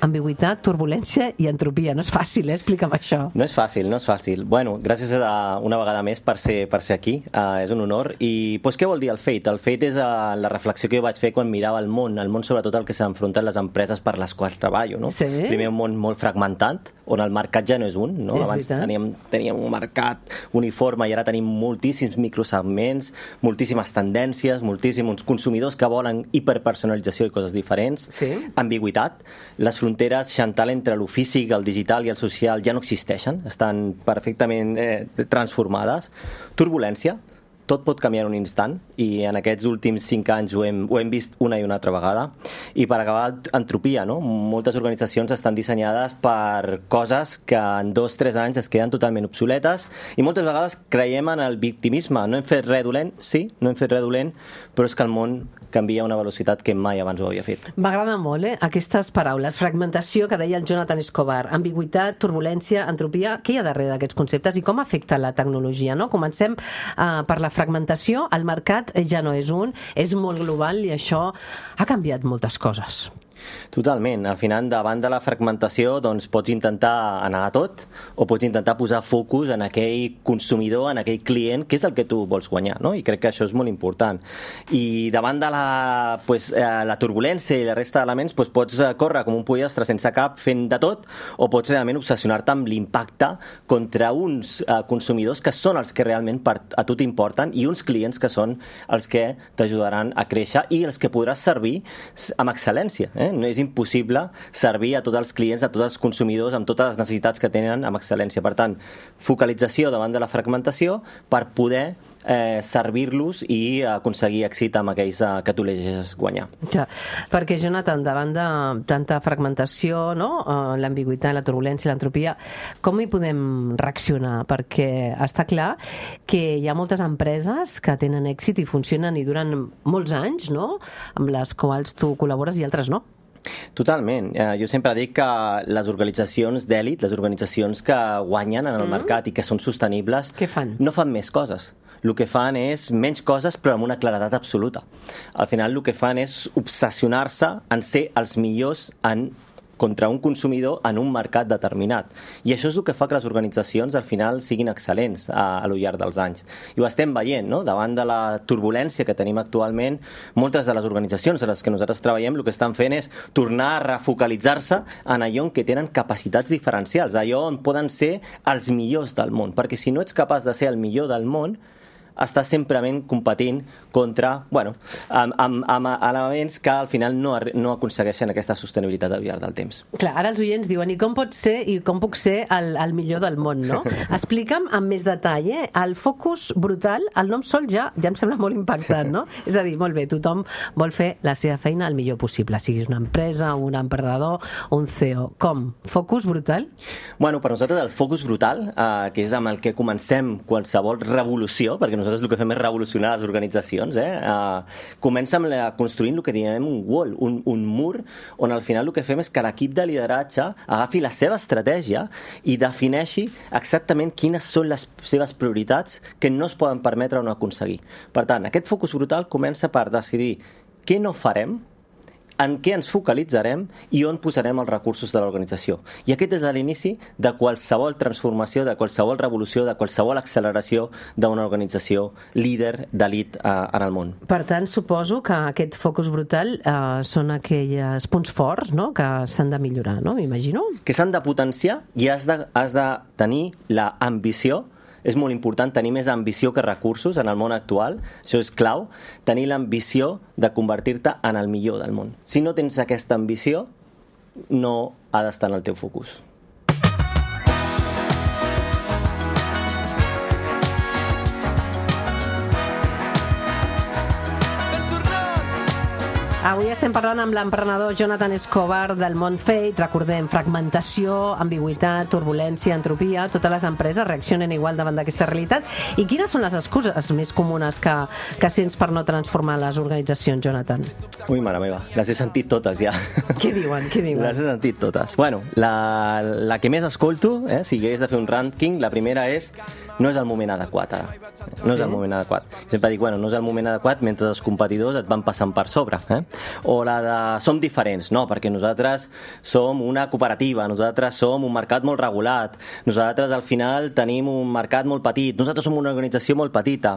ambigüitat, turbulència i entropia. No és fàcil, eh? Explica'm això. No és fàcil, no és fàcil. Bueno, gràcies a, una vegada més per ser, per ser aquí. Uh, és un honor. I pues, què vol dir el Fate? El Fate és uh, la reflexió que jo vaig fer quan mirava el món, el món sobretot el que s'han enfrontat les empreses per les quals treballo. No? Sí. Primer un món molt fragmentat, on el mercat ja no és un. No? És Abans veritat. teníem, teníem un mercat uniforme i ara tenim moltíssims microsegments, moltíssimes tendències, moltíssims consumidors que volen hiperpersonalització i coses diferents. Sí. Ambigüitat. Les fronteres, Chantal, entre el físic, el digital i el social ja no existeixen, estan perfectament eh, transformades. Turbulència. tot pot canviar en un instant i en aquests últims cinc anys ho hem, ho hem vist una i una altra vegada. I per acabar, entropia, no? Moltes organitzacions estan dissenyades per coses que en dos o tres anys es queden totalment obsoletes i moltes vegades creiem en el victimisme. No hem fet res dolent, sí, no hem fet res dolent, però és que el món canvia a una velocitat que mai abans ho havia fet. M'agrada molt, eh, aquestes paraules. Fragmentació, que deia el Jonathan Escobar, ambigüitat, turbulència, entropia. Què hi ha darrere d'aquests conceptes i com afecta la tecnologia, no? Comencem uh, per la fragmentació. El mercat ja no és un, és molt global i això ha canviat moltes coses. Totalment. Al final, davant de la fragmentació, doncs pots intentar anar a tot o pots intentar posar focus en aquell consumidor, en aquell client, que és el que tu vols guanyar, no? I crec que això és molt important. I davant de la, pues, eh, la turbulència i la resta d'elements, pues, pots córrer com un pollastre sense cap fent de tot o pots realment obsessionar-te amb l'impacte contra uns eh, consumidors que són els que realment per, a tu t'importen i uns clients que són els que t'ajudaran a créixer i els que podràs servir amb excel·lència, eh? No és impossible servir a tots els clients, a tots els consumidors, amb totes les necessitats que tenen amb excel·lència. Per tant, focalització davant de la fragmentació per poder eh, servir-los i aconseguir èxit amb aquells eh, que tu elegeixes guanyar. Ja, perquè, Jonathan, davant de tanta fragmentació, no? uh, l'ambigüitat, la turbulència, l'entropia, com hi podem reaccionar? Perquè està clar que hi ha moltes empreses que tenen èxit i funcionen i duren molts anys, no? Amb les quals tu col·labores i altres no. Totalment. Eh, jo sempre dic que les organitzacions d'èlit, les organitzacions que guanyen en el mm. mercat i que són sostenibles, què fan? No fan més coses. El que fan és menys coses però amb una claredat absoluta. Al final el que fan és obsessionar-se en ser els millors en contra un consumidor en un mercat determinat. I això és el que fa que les organitzacions al final siguin excel·lents a, a lo llarg dels anys. I ho estem veient, no? Davant de la turbulència que tenim actualment, moltes de les organitzacions a les que nosaltres treballem el que estan fent és tornar a refocalitzar-se en allò en què tenen capacitats diferencials, allò on poden ser els millors del món, perquè si no ets capaç de ser el millor del món, està semprement competint contra, bueno, amb, amb, amb elements que al final no, no aconsegueixen aquesta sostenibilitat al llarg del temps. Clar, ara els oients diuen, i com pot ser i com puc ser el, el millor del món, no? Explica'm amb més detall, eh? El focus brutal, el nom sol ja, ja em sembla molt impactant, no? És a dir, molt bé, tothom vol fer la seva feina el millor possible, siguis una empresa, un emprenedor o un C E O. Com? Focus brutal? Bueno, per nosaltres el focus brutal, eh, que és amb el que comencem qualsevol revolució, perquè nosaltres el que fem és revolucionar les organitzacions, eh? Uh, comença amb la, construint el que diem un wall, un, un mur, on al final el que fem és que l'equip de lideratge agafi la seva estratègia i defineixi exactament quines són les seves prioritats que no es poden permetre o no aconseguir. Per tant, aquest focus brutal comença per decidir què no farem, en què ens focalitzarem i on posarem els recursos de l'organització. I aquest és l'inici de qualsevol transformació, de qualsevol revolució, de qualsevol acceleració d'una organització líder d'elit eh, en el món. Per tant, suposo que aquest focus brutal eh, són aquells punts forts, no?, que s'han de millorar, no?, m'imagino? Que s'han de potenciar i has de, has de tenir l'ambició. És molt important tenir més ambició que recursos en el món actual. Això és clau. Tenir l'ambició de convertir-te en el millor del món. Si no tens aquesta ambició, no ha d'estar en el teu focus. Avui estem parlant amb l'emprenedor Jonathan Escobar del món Fate. Recordem, fragmentació, ambigüitat, turbulència, entropia. Totes les empreses reaccionen igual davant d'aquesta realitat. I quines són les excuses més comunes que, que sents per no transformar les organitzacions, Jonathan? Ui, mare meva, les he sentit totes ja. Què diuen? Què diuen? Les he sentit totes. Bueno, la, la que més escolto, eh, si hagués de fer un ranking, la primera és no és el moment adequat ara. No sí? és el moment adequat. Sempre dic, bueno, no és el moment adequat mentre els competidors et van passant per sobre. Eh? O la de som diferents, no, perquè nosaltres som una cooperativa, nosaltres som un mercat molt regulat, nosaltres al final tenim un mercat molt petit, nosaltres som una organització molt petita.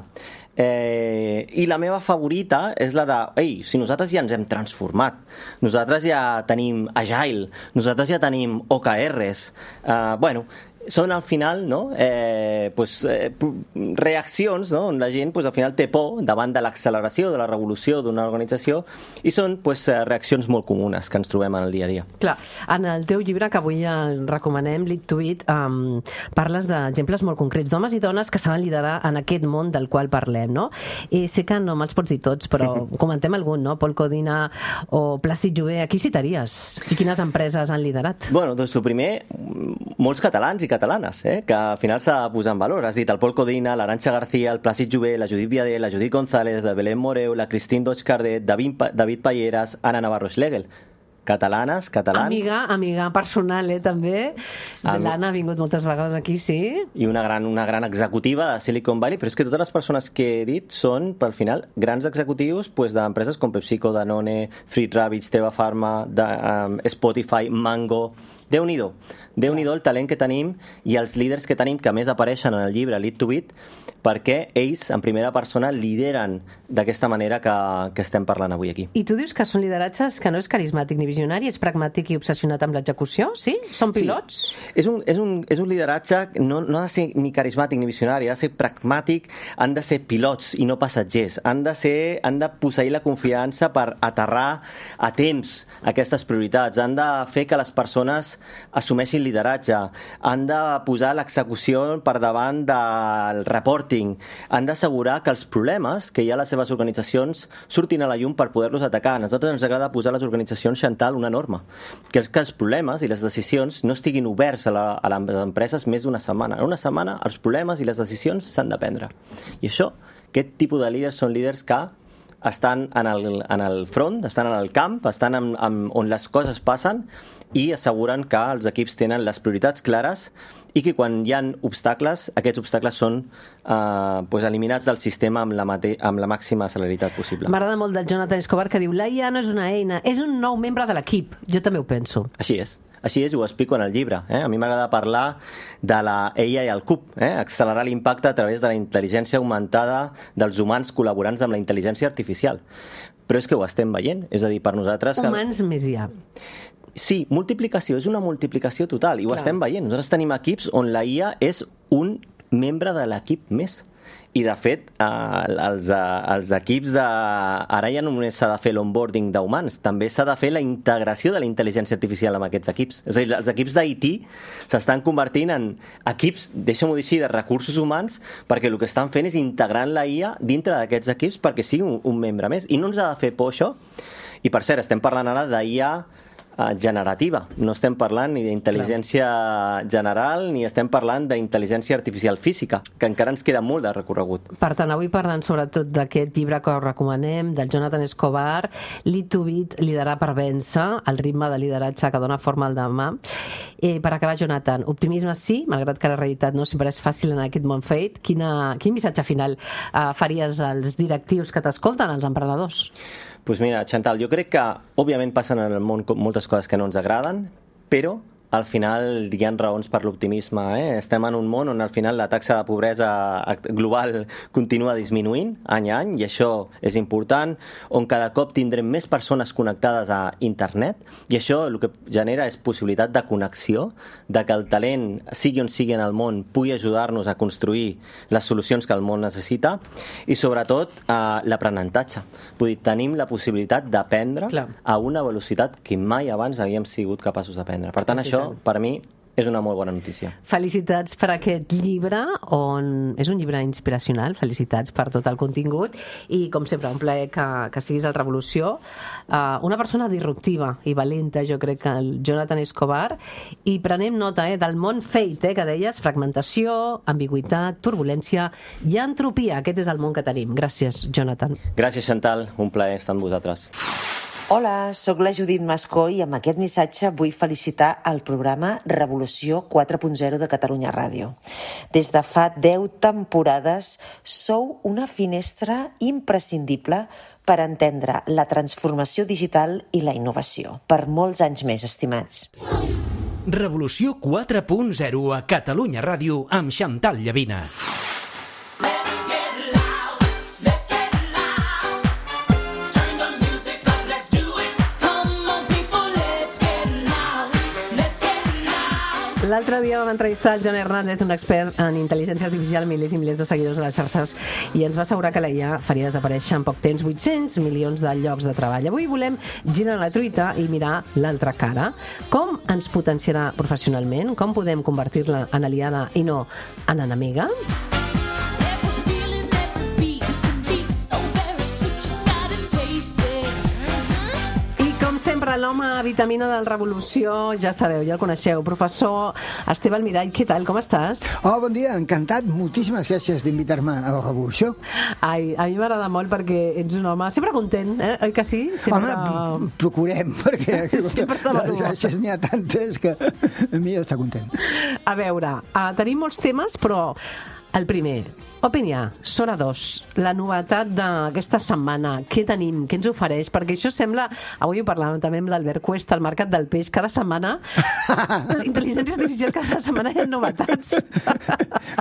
Eh, I la meva favorita és la de, ei, si nosaltres ja ens hem transformat, nosaltres ja tenim Agile, nosaltres ja tenim O K Rs, eh, bueno, són al final, no? eh, pues, eh, reaccions, no? On la gent pues, al final té por davant de l'acceleració, de la revolució d'una organització, i són pues, reaccions molt comunes que ens trobem en el dia a dia. Clar, en el teu llibre, que avui el recomanem, Lead to It, um, parles d'exemples molt concrets d'homes i dones que saben liderar en aquest món del qual parlem, no? I sé que no me'ls pots dir tots, però comentem algun, no? Pol Codina o Plàcid Jové, a qui citaries? I quines empreses han liderat? Bueno, doncs el primer, molts catalans i catalanes, eh? Que al final s'ha de posar en valor. Has dit el Pol Codina, l'Arantxa García, el Plàcid Jové, la Judit Viadé, la Judit González, la Belén Moreu, la Cristín Dodge-Cardet, David, David Palleras, Anna Navarro-Schlegel. Catalanes, catalans... Amiga, amiga personal, eh, també. Am... L'Anna ha vingut moltes vegades aquí, sí. I una gran, una gran executiva de Silicon Valley, però és que totes les persones que he dit són, pel final, grans executius pues, d'empreses com PepsiCo, Danone, Fruit Rabbits, Teva Pharma, de, um, Spotify, Mango... Déu-n'hi-do. Déu-n'hi-do el talent que tenim i els líders que tenim, que a més apareixen en el llibre Lead to It, perquè ells, en primera persona, lideren d'aquesta manera que, que estem parlant avui aquí. I tu dius que són lideratges que no és carismàtic ni visionari, és pragmàtic i obsessionat amb l'execució, sí? Són pilots? Sí. És un, és un, és un lideratge, no, no ha de ser ni carismàtic ni visionari, ha de ser pragmàtic, han de ser pilots i no passatgers, han de, ser, han de posseir la confiança per aterrar a temps aquestes prioritats, han de fer que les persones assumeixin lideratge, han de posar l'execució per davant del reporting, han d'assegurar que els problemes que hi ha a les seves organitzacions surtin a la llum per poder-los atacar. A nosaltres ens agrada posar a les organitzacions, Chantal, una norma, que és que els problemes i les decisions no estiguin oberts a, la, a les empreses més d'una setmana. En una setmana els problemes i les decisions s'han de prendre. I això, aquest tipus de líders són líders que estan en el, en el front, estan en el camp, estan en, en, on les coses passen i asseguren que els equips tenen les prioritats clares i que quan hi ha obstacles, aquests obstacles són eh, pues eliminats del sistema amb la, mate amb la màxima celeritat possible. M'agrada molt del Jonathan Escobar que diu la I A no és una eina, és un nou membre de l'equip. Jo també ho penso. Així és. Així és, ho explico en el llibre. Eh? A mi m'agrada parlar de la A I al cub, eh? accelerar l'impacte a través de la intel·ligència augmentada dels humans col·laborants amb la intel·ligència artificial. Però és que ho estem veient, és a dir, per nosaltres... Humans que... més I A. Sí, multiplicació, és una multiplicació total, i ho Clar. estem veient. Nosaltres tenim equips on la I A és un membre de l'equip més. I, de fet, eh, els, eh, els equips de... Ara ja només s'ha de fer l'onboarding d'humans, també s'ha de fer la integració de la intel·ligència artificial amb aquests equips. És a dir, els equips d'I T s'estan convertint en equips, deixa'm-ho dir així, de recursos humans, perquè el que estan fent és integrant la I A dintre d'aquests equips perquè sigui un, un membre més. I no ens ha de fer por això. I, per cert, estem parlant ara d'I A generativa. No estem parlant ni d'intel·ligència general ni estem parlant d'intel·ligència artificial física, que encara ens queda molt de recorregut. Per tant, avui parlant sobretot d'aquest llibre que us recomanem, del Jonathan Escobar, Lead to It, liderar per vèncer, el ritme de lideratge que dona forma al demà. Eh, per acabar, Jonathan, optimisme sí, malgrat que la realitat no sempre és fàcil en aquest món fet. Quina, quin missatge final eh, faries als directius que t'escolten, als emprenedors? Pues mira, Chantal, jo crec que òbviament passen en el món moltes coses que no ens agraden, però al final hi ha raons per l'optimisme. Eh? Estem en un món on al final la taxa de pobresa global continua disminuint any a any, i això és important, on cada cop tindrem més persones connectades a internet, i això el que genera és possibilitat de connexió, de que el talent, sigui on sigui en el món, pugui ajudar-nos a construir les solucions que el món necessita, i sobretot eh, l'aprenentatge. Vull dir, tenim la possibilitat d'aprendre a una velocitat que mai abans havíem sigut capaços d'aprendre. Per tant, això per mi és una molt bona notícia. Felicitats per aquest llibre, on és un llibre inspiracional. Felicitats per tot el contingut i, com sempre, un plaer que, que siguis al Revolució. Uh, una persona disruptiva i valenta, jo crec que el Jonathan Escobar, i prenem nota eh, del món fate, eh, que deies, fragmentació, ambigüitat, turbulència i entropia. Aquest és el món que tenim. Gràcies, Jonathan. Gràcies, Chantal. Un plaer estar amb vosaltres. Hola, sóc la Judit Mascó i amb aquest missatge vull felicitar el programa Revolució quatre punt zero de Catalunya Ràdio. Des de fa deu temporades sou una finestra imprescindible per entendre la transformació digital i la innovació. Per molts anys més, estimats. Revolució quatre punt zero a Catalunya Ràdio amb Chantal Llavina. L'altre dia vam entrevistar el John Hernández, un expert en intel·ligència artificial, milers i milers de seguidors a les xarxes, i ens va assegurar que la I A faria desaparèixer en poc temps vuit-cents milions de llocs de treball. Avui volem girar la truita i mirar l'altra cara. Com ens potenciarà professionalment? Com podem convertir-la en aliada i no en enemiga? Sempre l'home vitamina del Revolució, ja sabeu, ja el coneixeu. Professor Esteve Almirall, què tal, com estàs? Oh, bon dia, encantat. Moltíssimes gràcies d'invitar-me a la Revolució. Ai, a mi m'agrada molt perquè ets un home sempre content, eh? Oi que sí? Sempre... Home, procurem, perquè les gràcies n'hi ha tantes que a mi està content. A veure, uh, tenim molts temes, però el primer, Opinià, Sora dos, la novetat d'aquesta setmana. Què tenim? Què ens ofereix? Perquè això sembla... Avui ho parlàvem també amb l'Albert Cuesta, al Mercat del Peix. Cada setmana, la intel·ligència artificial, cada setmana hi ha novetats.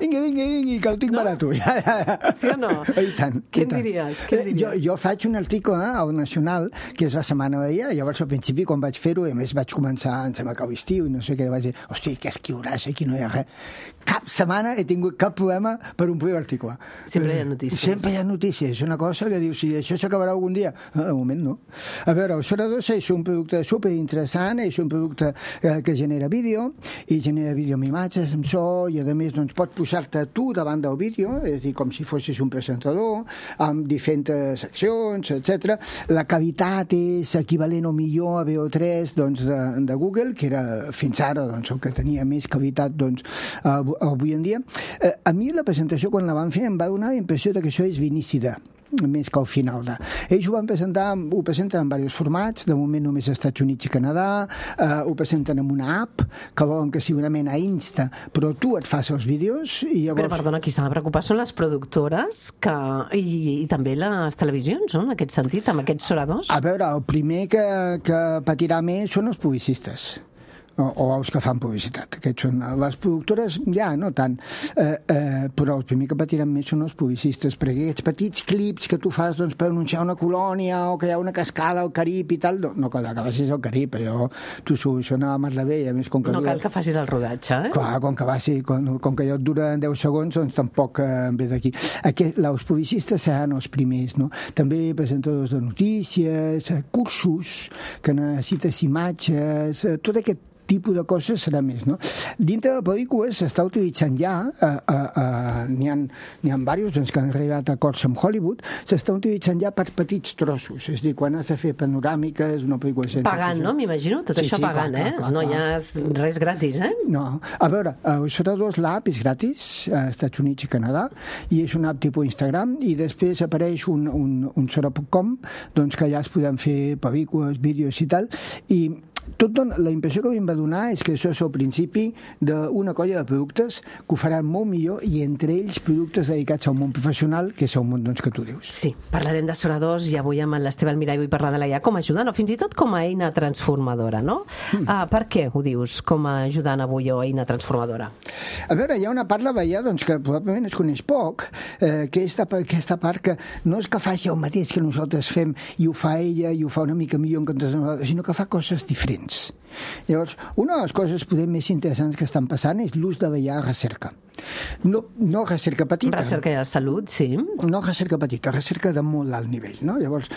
Vinga, vinga, vinga, que ho tinc no? barat. Sí o no? I tant. Què en diries? Què en diries? Jo, jo faig un article eh, al Nacional, que és la setmana d'ahir, llavors al principi, quan vaig fer-ho, a més vaig començar, em sembla que a l'estiu, i no sé què, vaig dir, hosti, què escriuràs, aquí no hi ha res. Cap setmana he tingut cap problema per omplir l'article. Sempre hi ha notícies. Sempre hi ha notícies. És una cosa que dius, si això s'acabarà algun dia. No, de moment no. A veure, el Sora dos és un producte superinteressant, és un producte eh, que genera vídeo, i genera vídeo amb imatges, amb so, i a més doncs, pots posar-te tu davant del vídeo, és a dir, com si fossis un presentador, amb diferents seccions, etcètera. La qualitat és equivalent o millor a V O tres doncs, de, de Google, que era fins ara doncs, el que tenia més qualitat doncs, avui en dia. Eh, a mi la presentació, quan la van fer, em va donar la impressió de que això és l'inici de més que al final de. Ells ho van presentar, ho presenten en diversos formats, de moment només als Estats Units i Canadà, eh, ho presenten en una app, que volen que sigui una mena Insta, però tu et fas els vídeos i llavors... Però, perdona, qui s'ha de preocupar són les productores que... I, i també les televisions, no?, en aquest sentit, amb aquests Sora dos. A veure, el primer que, que patirà més són els publicistes. O, o els que fan publicitat. Aquests són les productores, ja, no tant, eh, eh, però el primer que patiran més són els publicistes, perquè aquests petits clips que tu fas doncs, per anunciar una colònia o que hi ha una cascada al Carib i tal, no, no cal que facis al Carib, allò t'ho soluciona a Mar de Bé, a més com que... No dura... cal que facis el rodatge, eh? Clar, com que, vagi, com, com que allò et dura deu segons, doncs tampoc eh, ve d'aquí. Aquest, els publicistes seran els primers, no? També presentadors de notícies, eh, cursos, que necessites imatges, eh, tot aquest tipus de coses serà més, no? Dintre de pel·lícules s'està utilitzant ja, eh, eh, eh, n'hi ha, n'hi ha diversos doncs, que han arribat a acords amb Hollywood, s'està utilitzant ja per petits trossos, és a dir, quan has de fer panoràmiques, una pel·lícula sense... Pagant, no? M'imagino, tot sí, això sí, pagant, clar, eh? Clar, clar, no hi ha res gratis, eh? No. A veure, el Sora dos, l'app és gratis als Estats Units i Canadà, i és una app tipus Instagram, i després apareix un, un, un Sora punt com, doncs que allà es poden fer pel·lícules, vídeos i tal, i tot dona, la impressió que a mi em va donar és que això és el principi d'una colla de productes que ho faran molt millor, i entre ells productes dedicats al món professional, que és el món doncs, que tu dius. Sí, parlarem de Sora dos, i avui amb l'Esteve Almirall vull parlar de la I A com a ajudant, o fins i tot com a eina transformadora, no? Mm. Ah, per què ho dius, com a ajudant avui o eina transformadora? A veure, hi ha una part de la I A doncs, que probablement es coneix poc, eh, que és aquesta part que no és que faci el mateix que nosaltres fem i ho fa ella i ho fa una mica millor en comptes de nosaltres, sinó que fa coses diferents. Llavors, una de les coses poder més interessants que estan passant és l'ús de la I A a recerca. No, no recerca petita. Recerca de salut, sí. No recerca petita, recerca de molt alt nivell, no? Llavors,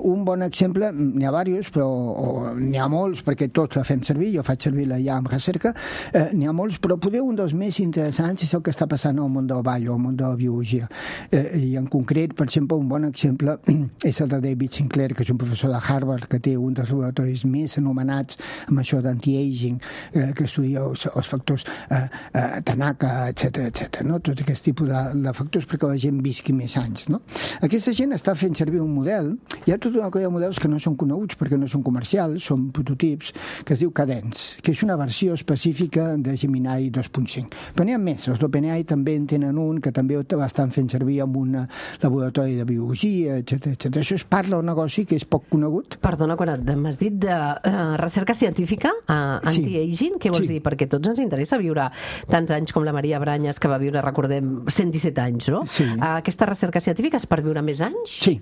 un bon exemple, n'hi ha diversos, però n'hi ha molts, perquè tots la fem servir, jo faig servir la I A amb recerca, eh, n'hi ha molts, però poder un dels més interessants és el que està passant al món del ball o al món de la biologia. Eh, I en concret, per exemple, un bon exemple és el de David Sinclair, que és un professor de Harvard, que té un dels laboratoris més anomenats amb això d'anti-aging, eh, que estudia els, els factors eh, eh, Tanaka, etcètera etcètera, no? Tot aquest tipus de, de factors perquè la gent visqui més anys, no? Aquesta gent està fent servir un model, hi ha tota una colla de models que no són coneguts perquè no són comercials, són prototips, que es diu Cadence, que és una versió específica de Gemini dos punt cinc. Però n'hi ha més, els d'OpenAI també en tenen un que també l'estan fent servir amb un laboratori de biologia, etcètera etcètera. Això es parla d'un negoci que és poc conegut. Perdona, quan m'has dit de uh, recerca científica, uh, anti-aging, què vols sí. dir? Perquè a tots ens interessa viure tants anys com la Maria Branyes, que va viure, recordem, cent disset anys, no? Sí. Aquesta recerca científica és per viure més anys? Sí.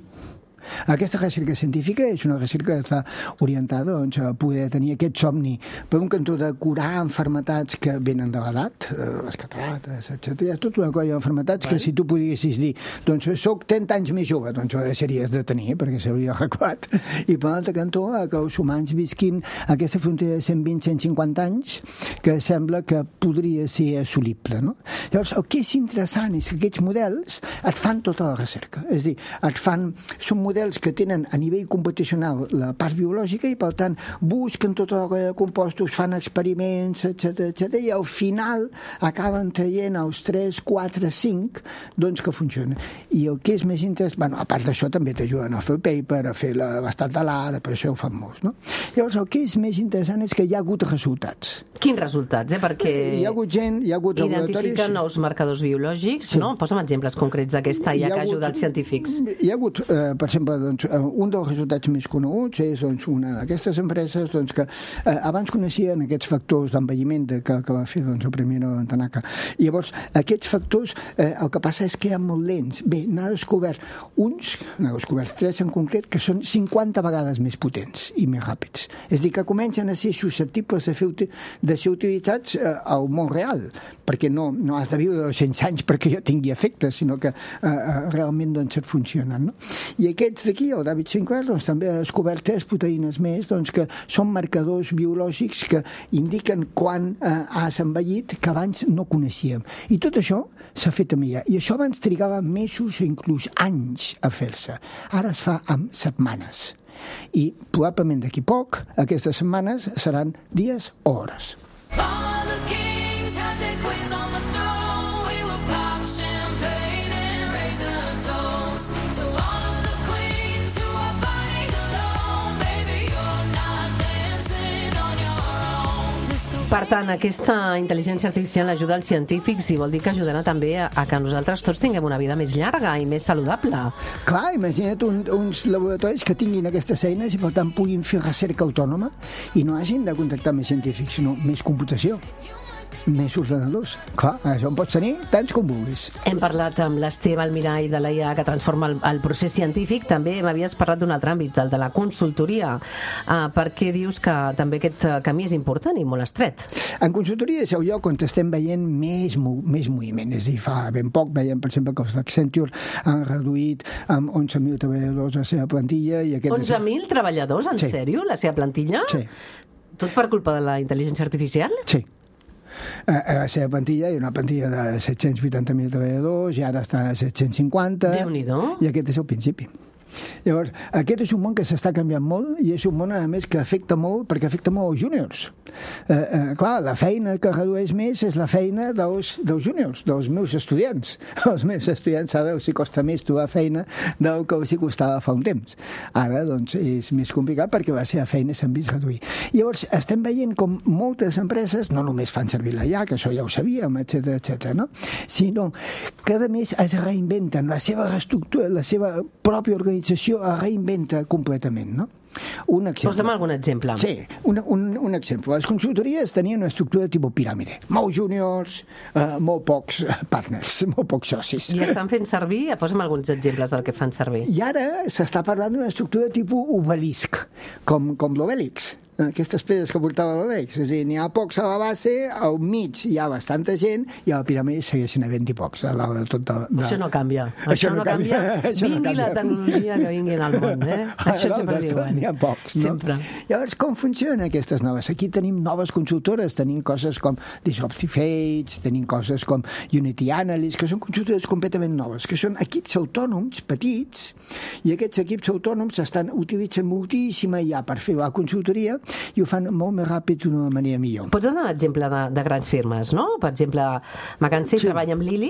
Aquesta recerca científica és una recerca que està orientada doncs, a poder tenir aquest somni, per un cantó de curar enfermetats que venen de l'edat, les catarates, etcètera. Hi ha tota una colla d'enfermetats que si tu podessis dir, doncs soc trenta anys més jove, doncs ho deixaries de tenir, perquè s'hauria adequat. I per l'altre cantó, que els humans visquin aquesta frontera de cent vint a cent cinquanta anys, que sembla que podria ser assolible. No? Llavors, el que és interessant és que aquests models et fan tota la recerca. És a dir, et fan, són models que tenen a nivell computacional la part biològica i, per tant, busquen tota la colla de compostos, fan experiments, etcètera, etcètera, i al final acaben traient els tres, quatre, cinc, doncs que funcionen. I el que és més interessant, bueno, a part d'això també t'ajuden a fer el paper, a fer l'estat de l'art, per això ho fan molts, no? Llavors, el que és més interessant és que hi ha hagut resultats. Quins resultats, eh? Perquè hi ha hagut gent, hi ha hagut laboratoris... Identifiquen nous marcadors biològics, sí. No? Posa'm exemples concrets d'aquesta I A que ha ajudat els científics. Hi ha hagut, eh, per exemple, doncs, un dels resultats més coneguts és doncs, una d'aquestes empreses doncs, que eh, abans coneixien aquests factors d'envelliment que, que va fer doncs, el primer Tanaka. I llavors, aquests factors, eh, el que passa és que eren molt lents. Bé, n'ha descobert uns, n'ha descobert tres en concret, que són cinquanta vegades més potents i més ràpids. És a dir, que comencen a ser susceptibles de, fer, de ser utilitzats eh, al món real, perquè no, no has de viure dos-cents anys perquè jo tingui efectes, sinó que eh, realment doncs, et funcionen. No? I aquests d'aquí, el David Sinclair, doncs, també ha descobert tres proteïnes més doncs, que són marcadors biològics que indiquen quan eh, has envellit, que abans no coneixíem. I tot això s'ha fet amb I A. I això abans trigava mesos o inclús anys a fer-se. Ara es fa amb setmanes. I probablement d'aquí poc, aquestes setmanes seran dies o hores. Per tant, aquesta intel·ligència artificial ajuda als científics i vol dir que ajudarà també a, a que nosaltres tots tinguem una vida més llarga i més saludable. Clar, imagina't un, uns laboratoris que tinguin aquestes eines i per tant puguin fer recerca autònoma i no hagin de contactar més científics, sinó més computació, més ordenadors. Clar, això en pots tenir tants com vulguis. Hem parlat amb l'Esteve Almirall de l'I A que transforma el, el procés científic. També m'havies parlat d'un altre àmbit, el de la consultoria. Uh, per què dius que també aquest camí és important i molt estret? En consultoria és el lloc on estem veient més, més moviment. És a dir, fa ben poc veiem, per exemple, que els d'Accenture han reduït amb onze mil treballadors la seva plantilla. I aquest onze mil és... treballadors? En sí. Sèrio? La seva plantilla? Sí. Tot per culpa de la intel·ligència artificial? Sí. A la seva plantilla hi ha una plantilla de set-cents vuitanta mil treballadors i ara està a set-cents cinquanta. Déu-n'hi-do. I aquest és el principi. Llavors, aquest és un món que s'està canviant molt i és un món, a més, que afecta molt, perquè afecta molt els júniors. Eh, eh, clar, la feina que redueix més és la feina dels, dels júniors, dels meus estudiants. Els meus estudiants ara els costa més trobar feina del que els costava fa un temps. Ara, doncs, és més complicat perquè la seva feina s'han vist reduir. Llavors, estem veient com moltes empreses no només fan servir la I A, que això ja ho sabíem, etcètera, etcètera, no? Sinó que, a més, es reinventen la seva reestructura, la seva pròpia organització es reinventa completament, no? Un exemple. Posa'm algun exemple. Sí, un, un, un exemple. Les consultories tenien una estructura tipus piràmide. Molts júniors, eh, molt pocs partners, molt pocs socis. I estan fent servir, posa'm alguns exemples del que fan servir. I ara s'està parlant d'una estructura tipus obelisc, com, com l'Obèlix. Aquestes pedres que portava l'Obèlix. És a dir, n'hi ha pocs a la base, al mig hi ha bastanta gent i a la piràmide segueixen havent-hi pocs. A de tot de, de... Això no canvia. Això, això no canvia. canvia. Vingui no canvia. La tecnologia que vingui al món. Eh? Això sempre és igual. N'hi ha pocs. No? Sempre. Llavors, com funcionen aquestes noves? Aquí tenim noves consultores, tenim coses com Disruptive Age, tenim coses com Unity Analyst, que són consultores completament noves, que són equips autònoms petits, i aquests equips autònoms estan utilitzant moltíssima I A per fer la consultoria i ho fan molt més ràpid d'una manera millor. Pots donar un exemple de, de grans firmes, no? Per exemple, McKinsey sí. treballa amb Lily?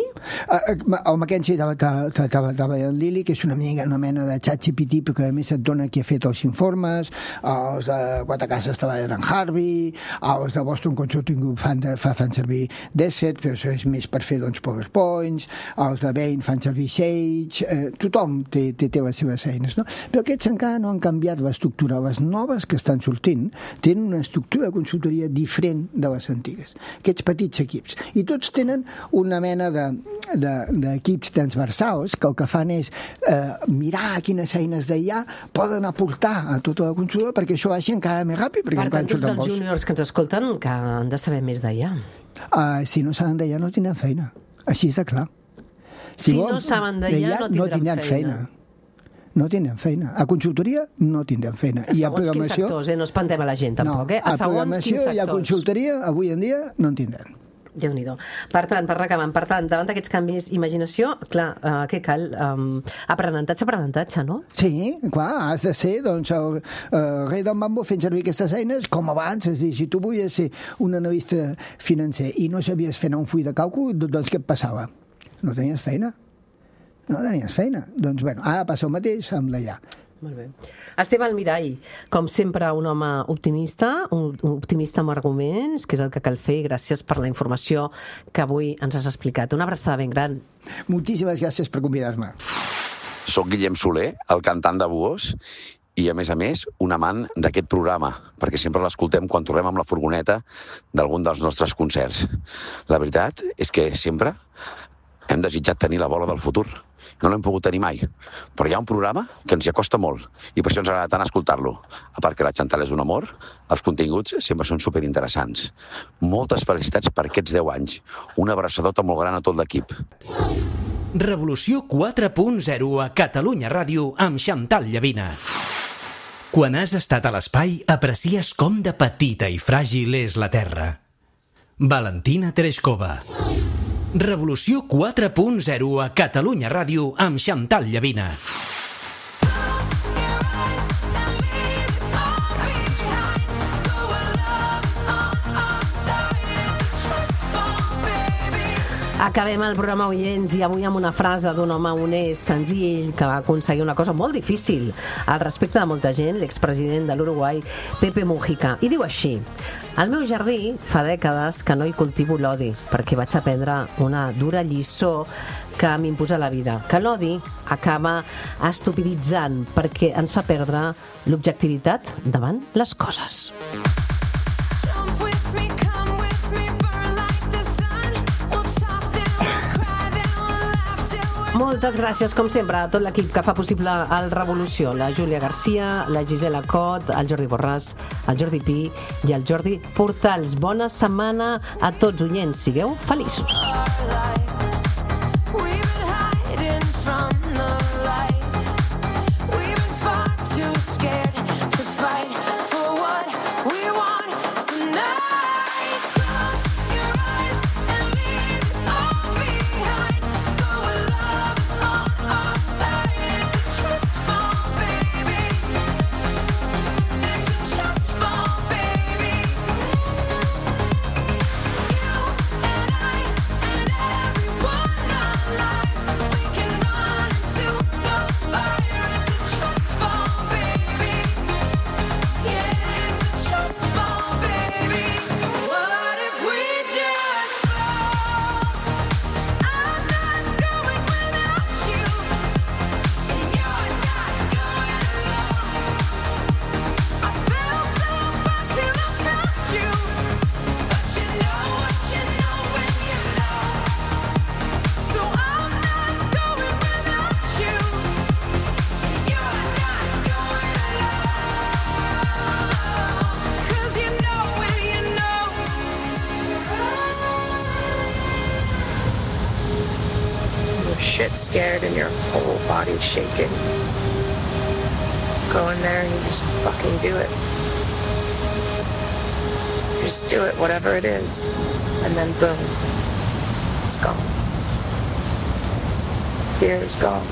El McKinsey treballa amb Lily, que és una mena, una mena de xat G P T, perquè a més et dona qui ha fet els informes, els de Quatre Cases treballen en Harvey, els de Boston Consulting Group fan, de, fan servir Desert, però això és més per fer doncs, PowerPoints, els de Bain fan servir Sage, eh, tothom té, té, té les seves eines, no? Però aquests encara no han canviat l'estructura. Les noves que estan sortint són, tenen una estructura de consultoria diferent de les antigues. Aquests petits equips. I tots tenen una mena de, de, d'equips transversals que el que fan és eh, mirar quines eines d'I A poden aportar a tota la consulta perquè això vagi encara més ràpid. Per tant, tots els júniors que ens escolten que han de saber més d'I A. Uh, si no saben d'I A no tindran feina. Així és de clar. Si, si no saben d'I A no tindran, no tindran feina. feina. No tindran feina. A consultoria no tindran feina. A segons I a quins sectors, eh? No espantem a la gent, tampoc, eh? A, a programació i a consultoria, avui en dia, no en tindran. Déu-n'hi-do. Per tant, per acabar, per tant, davant d'aquests canvis, imaginació, clar, uh, què cal? Um, aprenentatge, aprenentatge, no? Sí, clar, has de ser, doncs, el uh, rei del mambo fent servir aquestes eines com abans, és a dir, si tu volies ser un analista financer i no sabies fer un full de càlcul, doncs què et passava? No tenies feina. No tenies feina. Doncs, bueno, ara passa el mateix amb l'I A. Molt bé. Esteve Almirall, com sempre un home optimista, un optimista amb arguments, que és el que cal fer, i gràcies per la informació que avui ens has explicat. Una abraçada ben gran. Moltíssimes gràcies per convidar-me. Soc Guillem Soler, el cantant de Buós, i a més a més un amant d'aquest programa, perquè sempre l'escoltem quan tornem amb la furgoneta d'algun dels nostres concerts. La veritat és que sempre hem desitjat tenir la bola del futur. No l'hem pogut tenir mai, però hi ha un programa que ens hi acosta molt i per això ens agrada tant escoltar-lo. A part que la Chantal és un amor, els continguts sempre són superinteressants. Moltes felicitats per aquests deu anys. Una abraçadota molt gran a tot l'equip. Revolució quatre punt zero a Catalunya Ràdio amb Chantal Llavina. Quan has estat a l'espai, aprecies com de petita i fràgil és la Terra. Valentina Tereshkova. Revolució quatre punt zero a Catalunya Ràdio amb Chantal Llavina. Acabem el programa, oients, i avui amb una frase d'un home honest, senzill, que va aconseguir una cosa molt difícil al respecte de molta gent, l'expresident de l'Uruguai, Pepe Mujica. I diu així: al meu jardí fa dècades que no hi cultivo l'odi, perquè vaig aprendre una dura lliçó que m'imposa la vida, que l'odi acaba estupiditzant perquè ens fa perdre l'objectivitat davant les coses. Moltes gràcies, com sempre, a tot l'equip que fa possible el Revolució. La Júlia Garcia, la Gisela Cot, el Jordi Borràs, el Jordi Pi i el Jordi Portals. Bona setmana a tots, oients. Sigueu feliços. Scared and your whole body's shaking. Go in there and you just fucking do it. Just do it, whatever it is. And then boom, it's gone. Fear is gone.